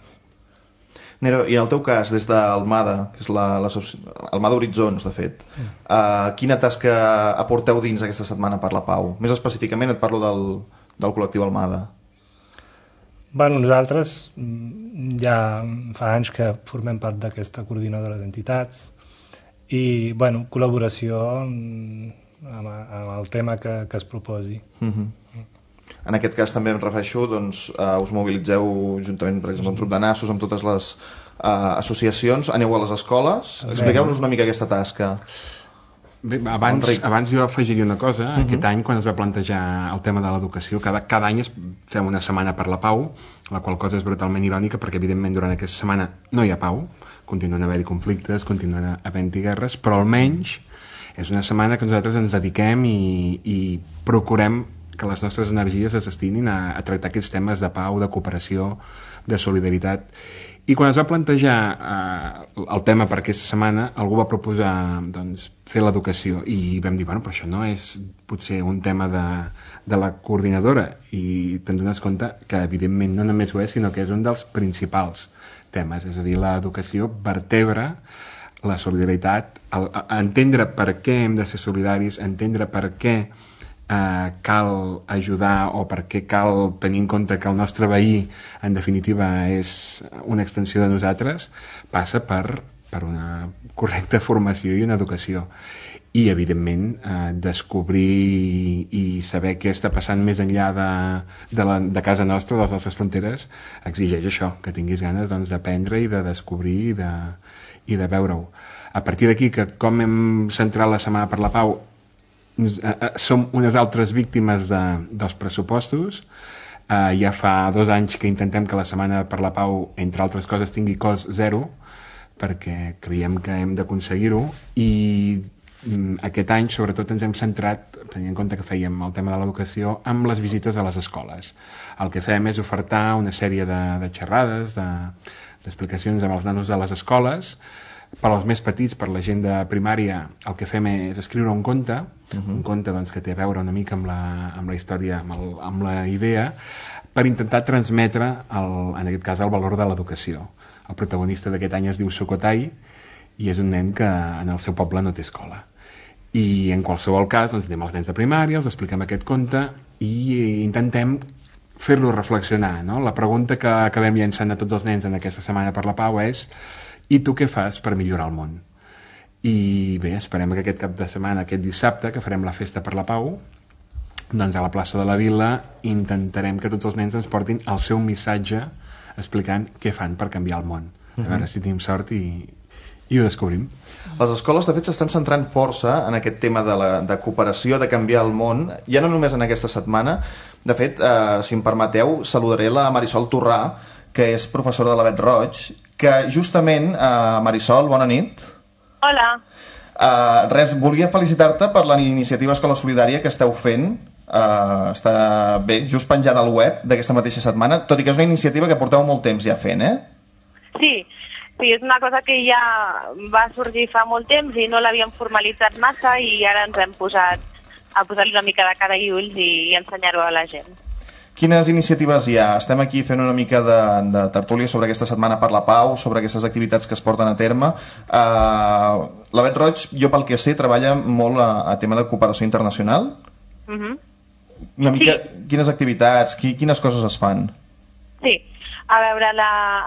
Nero, i en el teu cas, des d'Almada, que és Almada Horitzons, de fet, quina tasca aporteu dins aquesta Setmana per la Pau? Més específicament et parlo del col·lectiu Almada. Bueno, nosaltres ja fa anys que formem part d'aquesta coordinadora d'entitats i, bueno, col·laboració amb el tema que es proposi. En aquest cas també em refereixo, doncs, us mobilitzeu juntament, per exemple, amb Trup de Nassos, amb totes les associacions, aneu a les escoles, expliqueu-nos una mica aquesta tasca. Bé, abans jo afegiria una cosa. Aquest any, quan es va plantejar el tema de l'educació, cada any fem una setmana per la pau, la qual cosa és brutalment irònica perquè, evidentment, durant aquesta setmana no hi ha pau, continuen haver-hi conflictes, continuen havent-hi guerres, però almenys és una setmana que nosaltres ens dediquem i procurem que les nostres energies es destinin a tractar aquests temes de pau, de cooperació, de solidaritat. I quan es va plantejar el tema per aquesta setmana, algú va proposar, doncs, fer l'educació i vam dir, bueno, però això no és potser un tema de la coordinadora, i te'n dones compte que evidentment no només ho és, sinó que és un dels principals temes, és a dir, l'educació vertebra la solidaritat, entendre per què hem de ser solidaris, entendre per què cal ajudar o per què cal tenir en compte que el nostre veí en definitiva és una extensió de nosaltres, passa per una correcta formació i una educació i evidentment descobrir i saber què està passant més enllà de casa nostra, de les nostres fronteres, exigeix això, que tinguis ganes, doncs, d'aprendre i de descobrir i de veure-ho. A partir d'aquí, que com hem centrat la Setmana per la Pau, som unes altres víctimes dels pressupostos. Ja fa 2 anys que intentem que la Setmana per la Pau, entre altres coses, tingui cost zero, perquè creiem que hem d'aconseguir-ho, i aquest any sobretot ens hem centrat, tenint en compte que fèiem el tema de l'educació, amb les visites a les escoles. El que fem és ofertar una sèrie de xerrades, d'explicacions amb els nanos de les escoles. Per als més petits, per la gent de primària, el que fem és escriure un conte, un conte, doncs, que té a veure una mica amb la història, amb la idea, per intentar transmetre, en aquest cas, el valor de l'educació. El protagonista d'aquest any es diu Sukhothai i és un nen que en el seu poble no té escola. I en qualsevol cas, doncs, anem als nens de primària, els expliquem aquest conte i intentem fer-los reflexionar, no? La pregunta que acabem llançant a tots els nens en aquesta Setmana per la Pau és: i tu què fas per millorar el món? I bé, esperem que aquest cap de setmana, aquest dissabte, que farem la Festa per la Pau, doncs a la plaça de la Vila intentarem que tots els nens ens portin el seu missatge explicant què fan per canviar el món. A veure si tenim sort i ho descobrim. Les escoles, de fet, s'estan centrant força en aquest tema de cooperació, de canviar el món, ja no només en aquesta setmana. De fet, si em permeteu, saludaré la Marisol Torrà, que és professora de la Bet Roig, que justament, Marisol, bona nit. Hola. Res, volia felicitar-te per la iniciativa Escola Solidària que esteu fent. Està bé, just penjada al web d'aquesta mateixa setmana, tot i que és una iniciativa que porteu molt temps ja fent, Sí, és una cosa que ja va sorgir fa molt temps i no l'havíem formalitzat massa i ara ens hem posat a posar-li una mica de cara i ulls i ensenyar-ho a la gent. Quines iniciatives hi ha? Estem aquí fent una mica de tertúlia sobre aquesta Setmana per la Pau, sobre aquestes activitats que es porten a terme. La Bet Roig, jo pel que sé, treballa molt a tema de cooperació internacional. Una mica, quines activitats, quines coses es fan? Sí, A veure,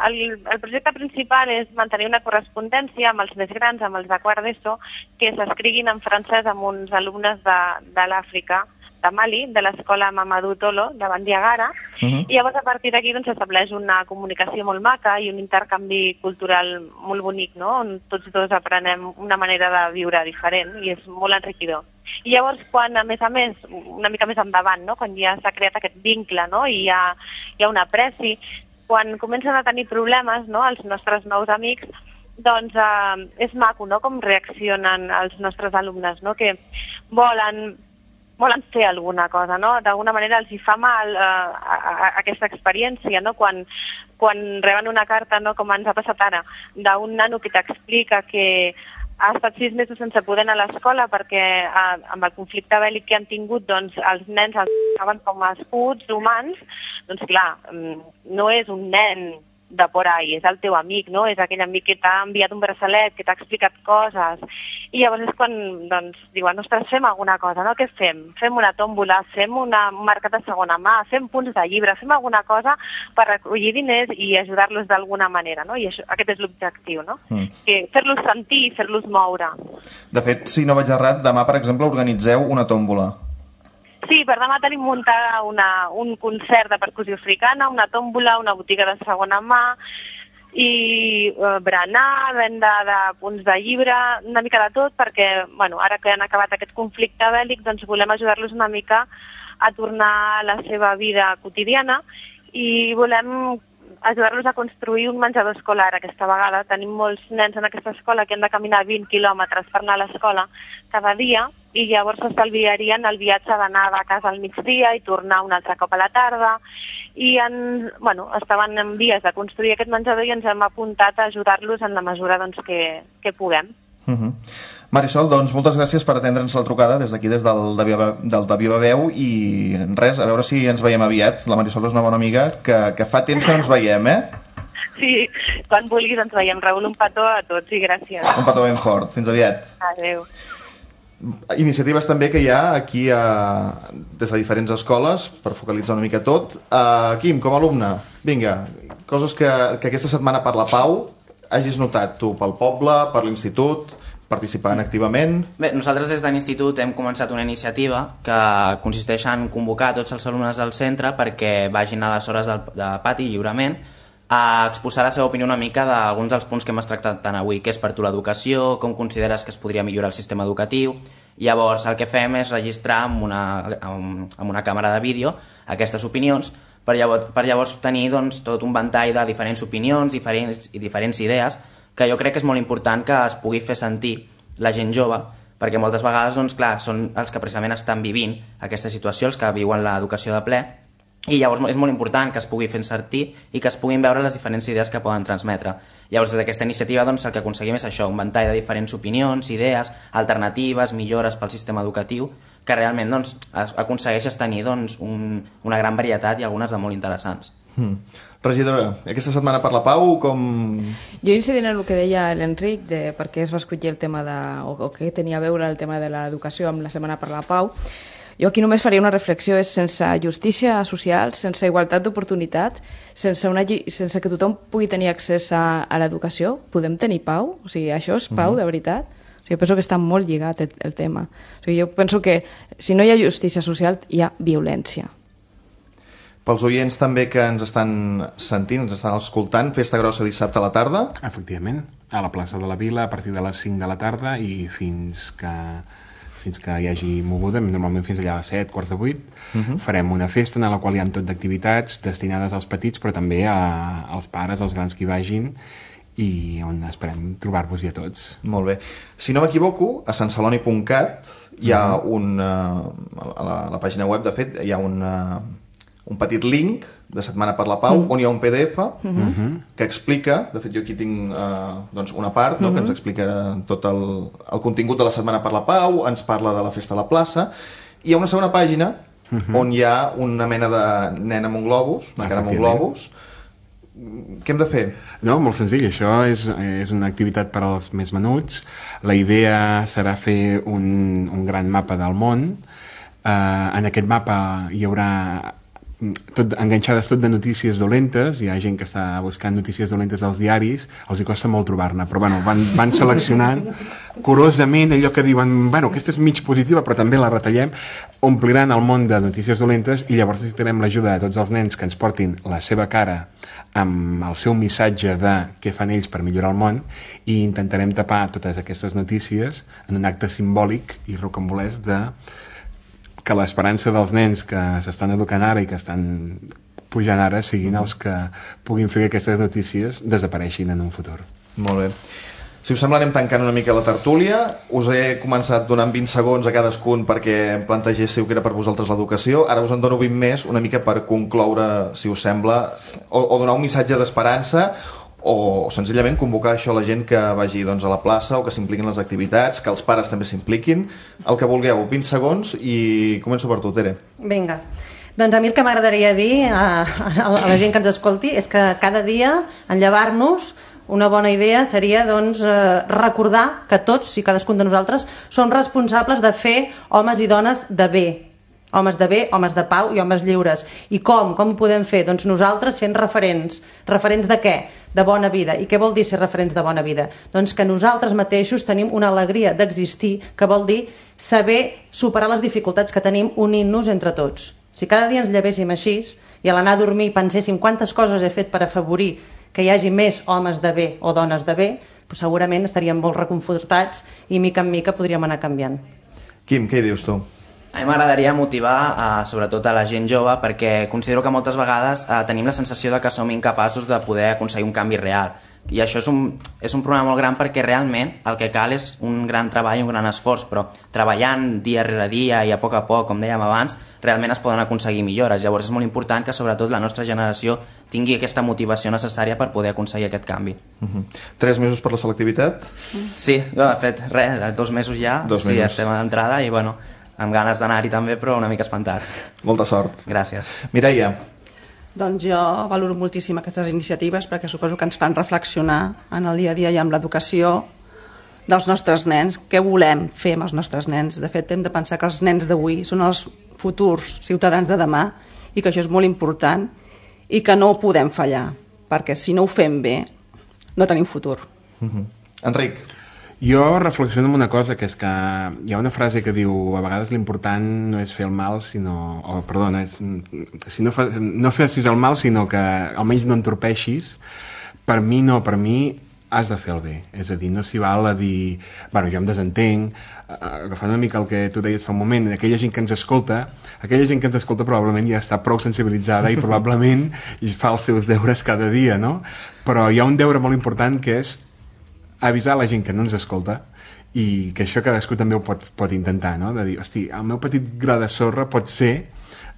el projecte principal és mantenir una correspondència amb els més grans, amb els de quart d'ESO, que s'escriguin en francès amb uns alumnes de l'Àfrica, de Mali, de l'escola Mamadou Tolo, de Bandiagara, i llavors a partir d'aquí s'estableix una comunicació molt maca i un intercanvi cultural molt bonic, no? On tots dos aprenem una manera de viure diferent i és molt enriquidor. I llavors, quan, a més, una mica més endavant, no? Quan ja s'ha creat aquest vincle, no? I hi ha una apreci, quan comencen a tenir problemes, no? Els nostres nous amics, doncs és maco, no? Com reaccionen els nostres alumnes, no? Que volen fer alguna cosa, no? D'alguna manera els hi fa mal aquesta experiència, no? Quan reben una carta, no? Com ens ha passat ara, d'un nano que t'explica que ha estat 6 mesos sense poder anar a l'escola perquè amb el conflicte bèl·lic que han tingut, doncs els nens els estaven com a escuts humans, doncs clar, no és un nen de por ahí, és el teu amic, no? És aquell amic que t'ha enviat un braçalet, que t'ha explicat coses, i llavors és quan doncs, diuen, ostres, fem alguna cosa, no? Què fem? Fem una tòmbola, fem un mercat de segona mà, fem punts de llibre, fem alguna cosa per recollir diners i ajudar-los d'alguna manera, no? I això, aquest és l'objectiu, no? Que fer-los sentir i fer-los moure. De fet, si no vaig errat, demà, per exemple, organitzeu una tòmbola. Sí, per demà tenim muntada un concert de percussió africana, una tòmbola, una botiga de segona mà i berenar, venda de punts de llibre, una mica de tot, perquè bueno, ara que han acabat aquest conflicte bèl·lic doncs volem ajudar-los una mica a tornar a la seva vida quotidiana i volem ajudar-los a construir un menjador escolar aquesta vegada. Tenim molts nens en aquesta escola que han de caminar 20 quilòmetres per anar a l'escola cada dia i llavors s'estalviarien el viatge d'anar de casa al migdia i tornar un altre cop a la tarda i estaven en vies de construir aquest menjador i ens hem apuntat a ajudar-los en la mesura doncs, que puguem. Marisol, doncs moltes gràcies per atendre'ns la trucada des d'aquí, des del de Viva Veu i res, a veure si ens veiem aviat. La Marisol és una bona amiga que fa temps que no ens veiem, Sí, quan vulguis ens veiem. Raül, un petó a tots i gràcies. Un petó ben fort, fins aviat. Adéu. Iniciatives també que hi ha aquí des de diferents escoles per focalitzar una mica tot. Quim, com a alumne, vinga, coses que aquesta setmana per la Pau hagis notat tu pel poble, per l'institut, participant activament. Bé, nosaltres des de l'institut hem començat una iniciativa que consisteix en convocar tots els alumnes del centre perquè vagin a les hores de pati lliurement a exposar la seva opinió una mica d'alguns dels punts que hem tractat tant avui, que és per tu l'educació, com consideres que es podria millorar el sistema educatiu. Llavors el que fem és registrar amb una càmera de vídeo aquestes opinions per llavors tenir doncs, tot un ventall de diferents opinions i diferents idees que jo crec que és molt important que es pugui fer sentir la gent jove, perquè moltes vegades doncs, clar, són els que precisament estan vivint aquesta situació, els que viuen l'educació de ple, i llavors és molt important que es pugui fer sentir i que es puguin veure les diferents idees que poden transmetre. Llavors, des d'aquesta iniciativa doncs, el que aconseguim és això, un ventall de diferents opinions, idees, alternatives, millores pel sistema educatiu, que realment doncs, aconsegueixes tenir doncs, una gran varietat i algunes de molt interessants. Regidora, aquesta setmana per la Pau, com... Jo incidint en el que deia l'Enric de per què es va escollir el tema o què tenia a veure el tema de l'educació amb la setmana per la Pau, jo aquí només faria una reflexió, és sense justícia social, sense igualtat d'oportunitats, sense que tothom pugui tenir accés a l'educació, podem tenir pau? O sigui, això és pau, de veritat? O sigui, penso que està molt lligat el tema. O sigui, jo penso que si no hi ha justícia social, hi ha violència. Pels oients també que ens estan sentint, ens estan escoltant, Festa Grossa dissabte a la tarda. Efectivament, a la plaça de la Vila a partir de les 5 de la tarda i fins que hi hagi moguda, normalment fins allà a les 7, quarts de 8, farem una festa en la qual hi ha tot d'activitats destinades als petits, però també als pares, als grans que hi vagin, i on esperem trobar-vos-hi a tots. Molt bé. Si no m'equivoco, a santceloni.cat hi ha a la pàgina web, de fet, hi ha un petit link de Setmana per la Pau on hi ha un PDF que explica, de fet jo aquí tinc una part que ens explica tot el contingut de la Setmana per la Pau, ens parla de la festa a la plaça, i hi ha una segona pàgina on hi ha una mena de nen amb un globus, una cara amb un globus. Què hem de fer? No, molt senzill, això és una activitat per als més menuts. La idea serà fer un gran mapa del món. En aquest mapa hi haurà enganxades tot de notícies dolentes, hi ha gent que està buscant notícies dolentes als diaris, els hi costa molt trobar-ne, però bueno, van seleccionant curosament allò que diuen, bueno, aquesta és mig positiva però també la retallem, ompliran el món de notícies dolentes i llavors necessitarem l'ajuda de tots els nens que ens portin la seva cara amb el seu missatge de què fan ells per millorar el món i intentarem tapar totes aquestes notícies en un acte simbòlic i rocambolesc de que l'esperança dels nens que s'estan educant ara i que estan pujant ara siguin els que puguin fer que aquestes notícies desapareixin en un futur. Molt bé. Si us sembla, anem tancant una mica la tertúlia. Us he començat donant 20 segons a cadascun perquè em plantegéssiu que era per vosaltres l'educació. Ara us en dono 20 més, una mica per concloure, si us sembla, o donar un missatge d'esperança, o senzillament convocar això a la gent que vagi doncs, a la plaça o que s'impliquin en les activitats, que els pares també s'impliquin, el que vulgueu. 20 segons i començo per tu, Tere. Vinga. Doncs a mi el que m'agradaria dir a la gent que ens escolti és que cada dia, en llevar-nos, una bona idea seria doncs, recordar que tots i cadascun de nosaltres som responsables de fer homes i dones de bé, homes de bé, homes de pau i homes lliures. I com ho podem fer? Doncs nosaltres sent referents. Referents de què? De bona vida. I què vol dir ser referents de bona vida? Doncs que nosaltres mateixos tenim una alegria d'existir, que vol dir saber superar les dificultats que tenim unint-nos entre tots. Si cada dia ens llevéssim així i a l'anar a dormir penséssim quantes coses he fet per afavorir que hi hagi més homes de bé o dones de bé, doncs segurament estaríem molt reconfortats i mica en mica podríem anar canviant. Quim, què hi dius tu? A mi m'agradaria motivar sobretot a la gent jove perquè considero que moltes vegades tenim la sensació de que som incapaços de poder aconseguir un canvi real. I això és un problema molt gran perquè realment el que cal és un gran treball i un gran esforç, però treballant dia rere dia i a poc, com dèiem abans, realment es poden aconseguir millores. Llavors és molt important que sobretot la nostra generació tingui aquesta motivació necessària per poder aconseguir aquest canvi. 3 mesos per la selectivitat? Sí, de fet, 2 mesos ja. 2 mesos. Sí, estem a l'entrada i bueno, amb ganes d'anar-hi també, però una mica espantats. Molta sort. Gràcies. Mireia. Doncs jo valoro moltíssim aquestes iniciatives perquè suposo que ens fan reflexionar en el dia a dia i amb l'educació dels nostres nens, què volem fer amb els nostres nens. De fet, hem de pensar que els nens d'avui són els futurs ciutadans de demà i que això és molt important i que no ho podem fallar, perquè si no ho fem bé no tenim futur. Enric. Jo reflexiono en una cosa, que és que hi ha una frase que diu a vegades l'important no és fer el mal, sinó... Perdona, no facis el mal, sinó que almenys no entorpeixis. Per mi has de fer el bé. És a dir, no s'hi val a dir... Bueno, jo em desentenc, agafant una mica el que tu deies fa un moment, aquella gent que ens escolta probablement ja està prou sensibilitzada i probablement fa els seus deures cada dia, no? Però hi ha un deure molt important que és avisar la gent que no ens escolta i que això cadascú també ho pot intentar, no? De dir, hosti, el meu petit gra de sorra pot ser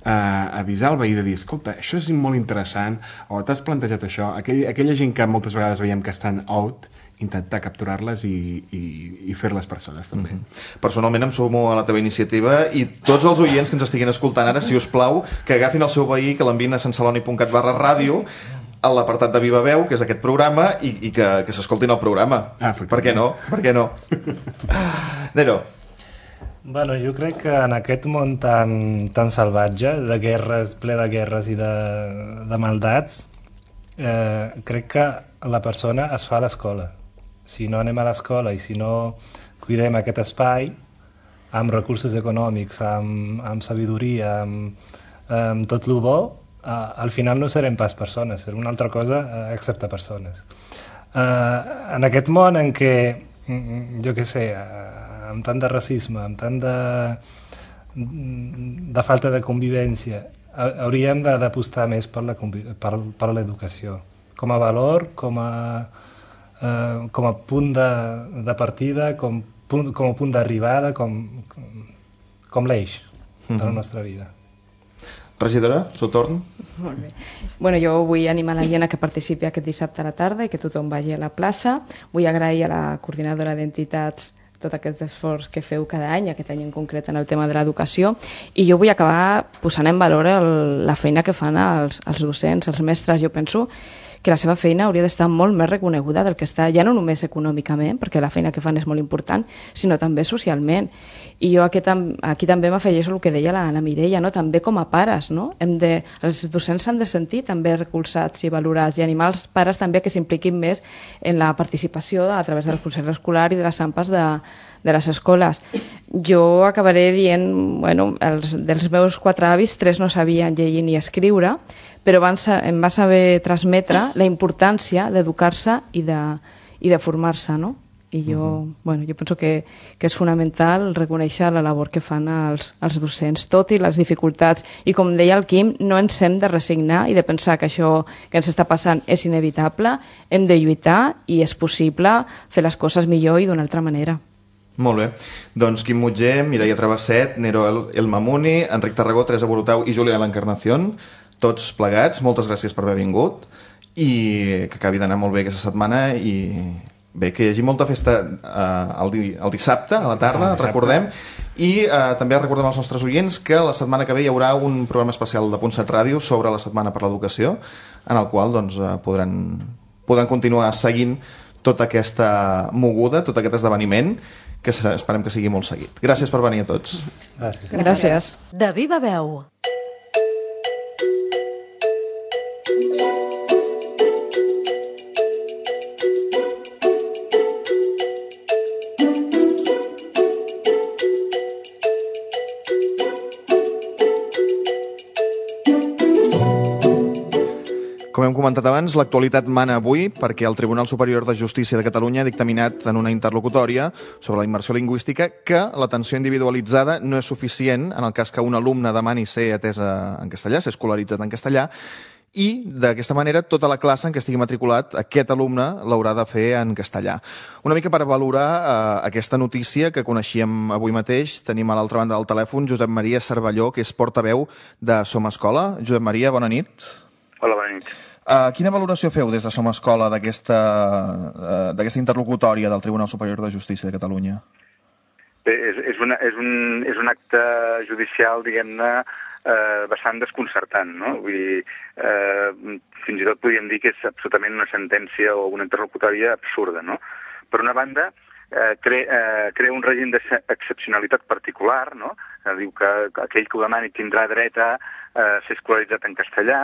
avisar el veí de dir, escolta, això és molt interessant, o t'has plantejat això, aquella gent que moltes vegades veiem que estan out, intentar capturar-les i fer-les persones també. Personalment em sumo a la teva iniciativa i tots els oients que ens estiguin escoltant ara, si us plau, que agafin el seu veí, que l'envien a santceloni.cat/ràdio a l'apartat de Viva Veu, que és aquest programa, i que s'escoltin el programa. Per què no? Per què no? Nero. Bueno, jo crec que en aquest món tan salvatge, de guerres, ple de guerres i de maldats, crec que la persona es fa a l'escola. Si no anem a l'escola i si no cuidem aquest espai, amb recursos econòmics, amb sabidoria, amb tot el bo, al final no serem pas persones, serem una altra cosa excepte persones. En aquest món en què, jo què sé, amb tant de racisme, amb tant de falta de convivència, hauríem d'apostar més per l'educació, com a valor, com a punt de partida, com a punt d'arribada, com l'eix de la nostra vida. Regidora, seu torn. Molt bé. Bueno, jo vull animar la gent a que participi aquest dissabte a la tarda i que tothom vagi a la plaça. Vull agrair a la coordinadora d'entitats tot aquest esforç que feu cada any, aquest any en concret en el tema de l'educació, i jo vull acabar posant en valor la feina que fan els docents, els mestres. Jo penso que la seva feina hauria d'estar molt més reconeguda del que està, ja no només econòmicament, perquè la feina que fan és molt important, sinó també socialment. I jo aquí també m'afegeixo el que deia la Mireia, no? També com a pares, no? Els docents s'han de sentir també recolzats i valorats, i animar els pares també que s'impliquin més en la participació a través del consell escolar i de les AMPAs de les escoles. Jo acabaré dient, bueno, dels meus 4 avis, 3 no sabien llegir ni escriure, però em va saber transmetre la importància d'educar-se i de formar-se, no? I jo penso que és fonamental reconèixer la labor que fan els docents, tot i les dificultats. I com deia el Quim, no ens hem de resignar i de pensar que això que ens està passant és inevitable. Hem de lluitar i és possible fer les coses millor i d'una altra manera. Molt bé. Doncs Quim Mutger, Mireia Travesset, Nero El Mamuni, Enric Tarragó, Teresa Borutau i Júlia de l'Encarnación, tots plegats, moltes gràcies per haver vingut i que acabi d'anar molt bé aquesta setmana i bé, que hi hagi molta festa el dissabte a la tarda, recordem, i també recordem als nostres oients que la setmana que ve hi haurà un programa especial de Punt 7 Ràdio sobre la Setmana per l'Educació, en el qual doncs, podran continuar seguint tota aquesta moguda, tot aquest esdeveniment, que esperem que sigui molt seguit. Gràcies per venir a tots. Gràcies. De viva veu. Com hem comentat abans, l'actualitat mana avui perquè el Tribunal Superior de Justícia de Catalunya ha dictaminat en una interlocutòria sobre la immersió lingüística que l'atenció individualitzada no és suficient en el cas que un alumne demani ser atesa en castellà, ser escolaritzat en castellà, i d'aquesta manera tota la classe en què estigui matriculat aquest alumne l'haurà de fer en castellà. Una mica per valorar aquesta notícia que coneixíem avui mateix, tenim a l'altra banda del telèfon Josep Maria Cervelló, que és portaveu de Som Escola. Josep Maria, bona nit. Hola, bona nit. Quina valoració feu des de Som Escola d'aquesta interlocutòria del Tribunal Superior de Justícia de Catalunya? Bé, és un acte judicial, diguem-ne, bastant desconcertant, no? Vull dir, fins i tot podríem dir que és absolutament una sentència o una interlocutòria absurda, no? Per una banda, crea un règim d'excepcionalitat particular, no? Diu que aquell que ho demani tindrà dret a ser escolaritzat en castellà,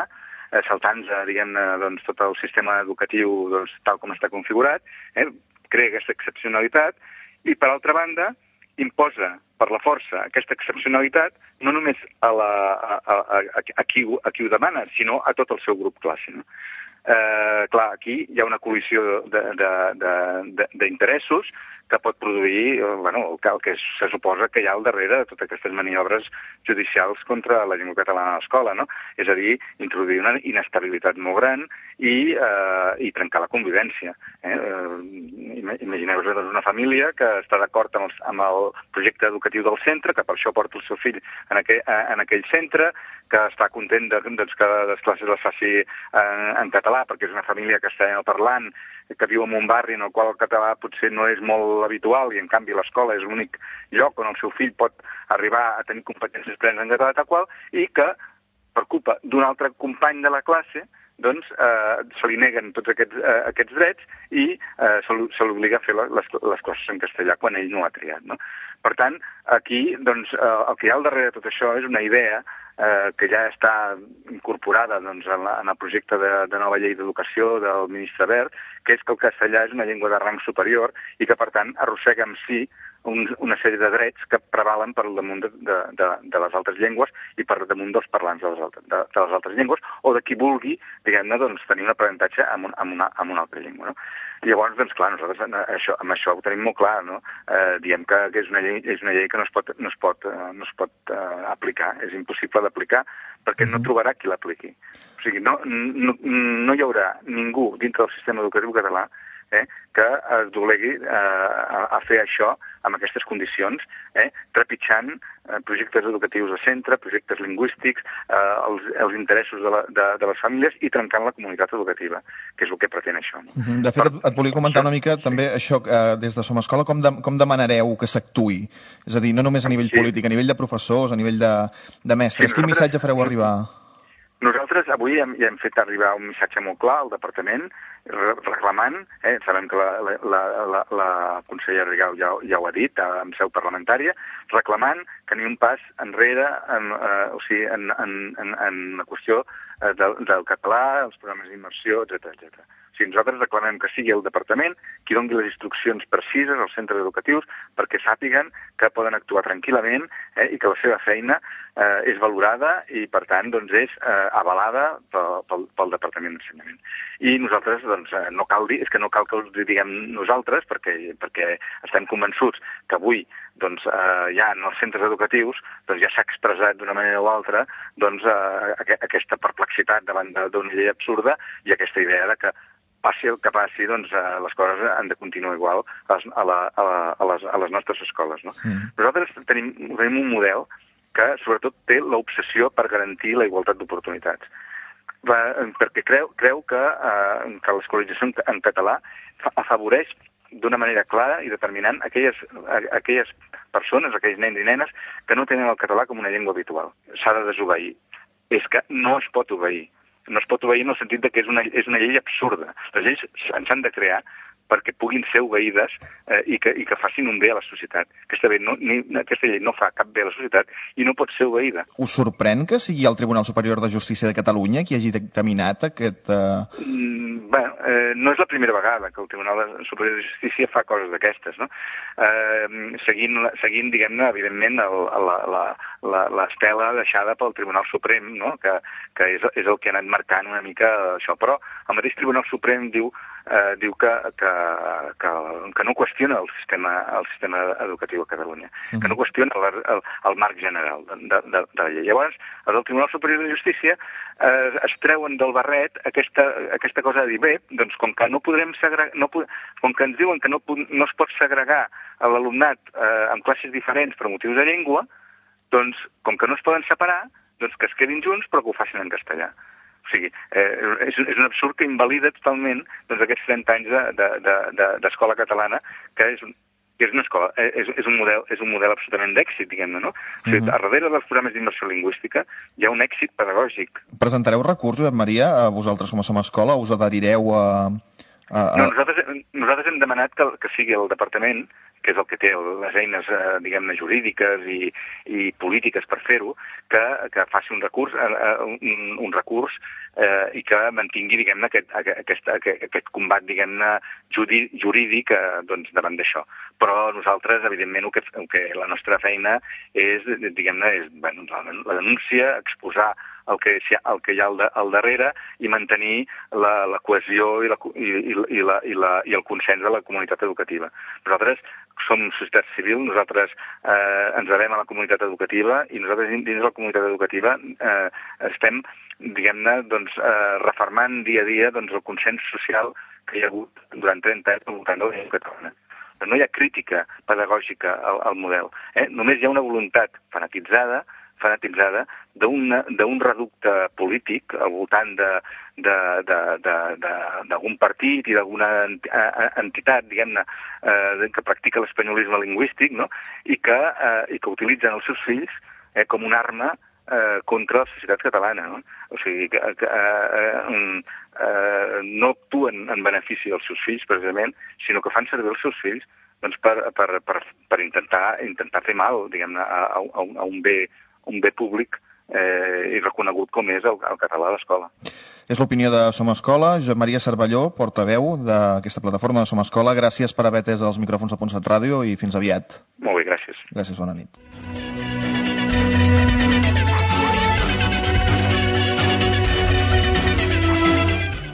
saltant-se, diguem-ne, doncs, tot el sistema educatiu doncs, tal com està configurat, crea aquesta excepcionalitat i, per altra banda, imposa per la força aquesta excepcionalitat no només a qui ho demana, sinó a tot el seu grup classe. No? Clar, aquí hi ha una col·lisió d'interessos que pot produir el que se suposa que hi ha al darrere de totes aquestes maniobres judicials contra la llengua catalana a l'escola, no? És a dir, introduir una inestabilitat molt gran i trencar la convivència. Imagineu-vos una família que està d'acord amb el projecte educatiu del centre, que per això porta el seu fill en aquell centre, que està content que les classes les faci en català, perquè és una família castellanoparlant, que viu en un barri en el qual el català potser no és molt habitual i en canvi l'escola és l'únic lloc on el seu fill pot arribar a tenir competències plenes en català tal qual, i que per culpa d'un altre company de la classe doncs se li neguen tots aquests drets i se l'obliga a fer les classes en castellà quan ell no ha triat, no? Per tant, aquí doncs, el que hi ha al darrere de tot això és una idea que ja està incorporada doncs, en el projecte de nova llei d'educació del ministre Wert, que és que el castellà és una llengua de rang superior i que, per tant, arrossega en si una sèrie de drets que prevalen per damunt de les altres llengües i per damunt dels parlants de les altres llengües o de qui vulgui, diguem-ne, doncs, tenir un aprenentatge amb una altra llengua. No? Llavors, doncs, clar, nosaltres amb això ho tenim molt clar, no? Diem que és una llei que no es pot aplicar, és impossible d'aplicar perquè no trobarà qui l'apliqui. O sigui, no hi haurà ningú dintre del sistema educatiu català que es doblegui a fer això amb aquestes condicions, trepitjant projectes educatius de centre, projectes lingüístics, els interessos de les famílies i trencant la comunitat educativa, que és el que pretén això. De fet, et volia comentar una mica també això, des de Som Escola, com demanareu que s'actuï? És a dir, no només a nivell polític, a nivell de professors, a nivell de mestres. Quin missatge fareu arribar? Nosaltres avui ja hem fet arribar un missatge molt clar al departament reclamant, sabem que la consellera Rigau ja ho ha dit en seu parlamentària, reclamant que ni un pas enrere en la qüestió del català, els programes d'immersió, etc. Nosaltres reclamem que sigui el departament qui doni les instruccions precises als centres educatius perquè sàpiguen que poden actuar tranquil·lament i que la seva feina és valorada i, per tant, és avalada pel Departament d'Ensenyament. I nosaltres, no cal que us diguem nosaltres, perquè estem convençuts que avui ja en els centres educatius ja s'ha expressat d'una manera o altra aquesta perplexitat davant d'una llei absurda i aquesta idea de que passi el que passi, les coses han de continuar igual a les nostres escoles. No? Nosaltres tenim un model que sobretot té l'obsessió per garantir la igualtat d'oportunitats. Perquè creu que l'escolarització en català afavoreix d'una manera clara i determinant aquelles persones, aquells nens i nenes que no tenen el català com una llengua habitual. S'ha de desobeir. És que no es pot obeir. No es pot obeir en el sentit que és una llei absurda. Les lleis s'han de crear perquè puguin ser obeïdes i que facin un bé a la societat. Aquesta llei no fa cap bé a la societat i no pot ser obeïda. Us sorprèn que sigui el Tribunal Superior de Justícia de Catalunya qui hagi dictaminat aquest... No és la primera vegada que el Tribunal Superior de Justícia fa coses d'aquestes, no? Seguint, diguem-ne, evidentment, l'estela deixada pel Tribunal Suprem, no? Que és el que ha anat marcant una mica això. Però el mateix Tribunal Suprem diu que no qüestiona el sistema educatiu a Catalunya, que no qüestiona el marc general de la llei. Llavors, els del Tribunal Superior de Justícia es treuen del barret aquesta cosa de dir, bé, doncs com que no podrem segregar, com que ens diuen que no es pot segregar l'alumnat en classes diferents per motius de llengua, doncs com que no es poden separar, doncs que es quedin junts però que ho facin en castellà. O sigui, és un absurd que invalida totalment aquests 30 anys d'escola catalana, que és una escola, és un model absolutament d'èxit, diguem-ne, no? O sigui, a darrere dels programes d'immersió lingüística hi ha un èxit pedagògic. Presentareu recurs, Josep Maria, a vosaltres com a Somescola? Us adherireu a... No, nosaltres hem demanat que sigui el departament, que és el que té les eines, diguem-ne, jurídiques i polítiques per fer-ho, que faci un recurs i que mantingui, diguem-ne, aquest combat, diguem-ne, jurídic davant d'això. Però nosaltres, evidentment, la nostra feina és, diguem-ne, la denúncia, exposar el que hi ha al darrere i mantenir la cohesió i el consens de la comunitat educativa. Nosaltres som societat civil, nosaltres ens devem a la comunitat educativa i nosaltres dins de la comunitat educativa estem, diguem-ne, refermant dia a dia el consens social que hi ha hagut durant 30 anys al voltant de la llengua catalana. No hi ha crítica pedagògica al model. Només hi ha una voluntat fanatitzada d'un reducte polític al voltant d'algun partit i d'alguna entitat, diguem-ne, que practica l'espanyolisme lingüístic, no? I que utilitzen els seus fills com una arma contra la societat catalana. No? O sigui, no actuen en benefici dels seus fills, precisament, sinó que fan servir els seus fills per intentar fer mal, diguem-ne, a un bé públic i reconegut com és el català a l'escola. És l'opinió de Somescola. Josep Maria Cervelló, portaveu d'aquesta plataforma de Somescola. Gràcies per haver atès els micròfons de Ponsat Ràdio i fins aviat. Molt bé, gràcies. Gràcies, bona nit.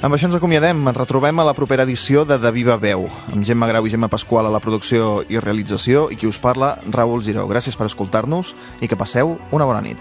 Amb això ens acomiadem. Ens retrobem a la propera edició de Viva Veu, amb Gemma Grau i Gemma Pasqual a la producció i realització i qui us parla, Raül Giró. Gràcies per escoltar-nos i que passeu una bona nit.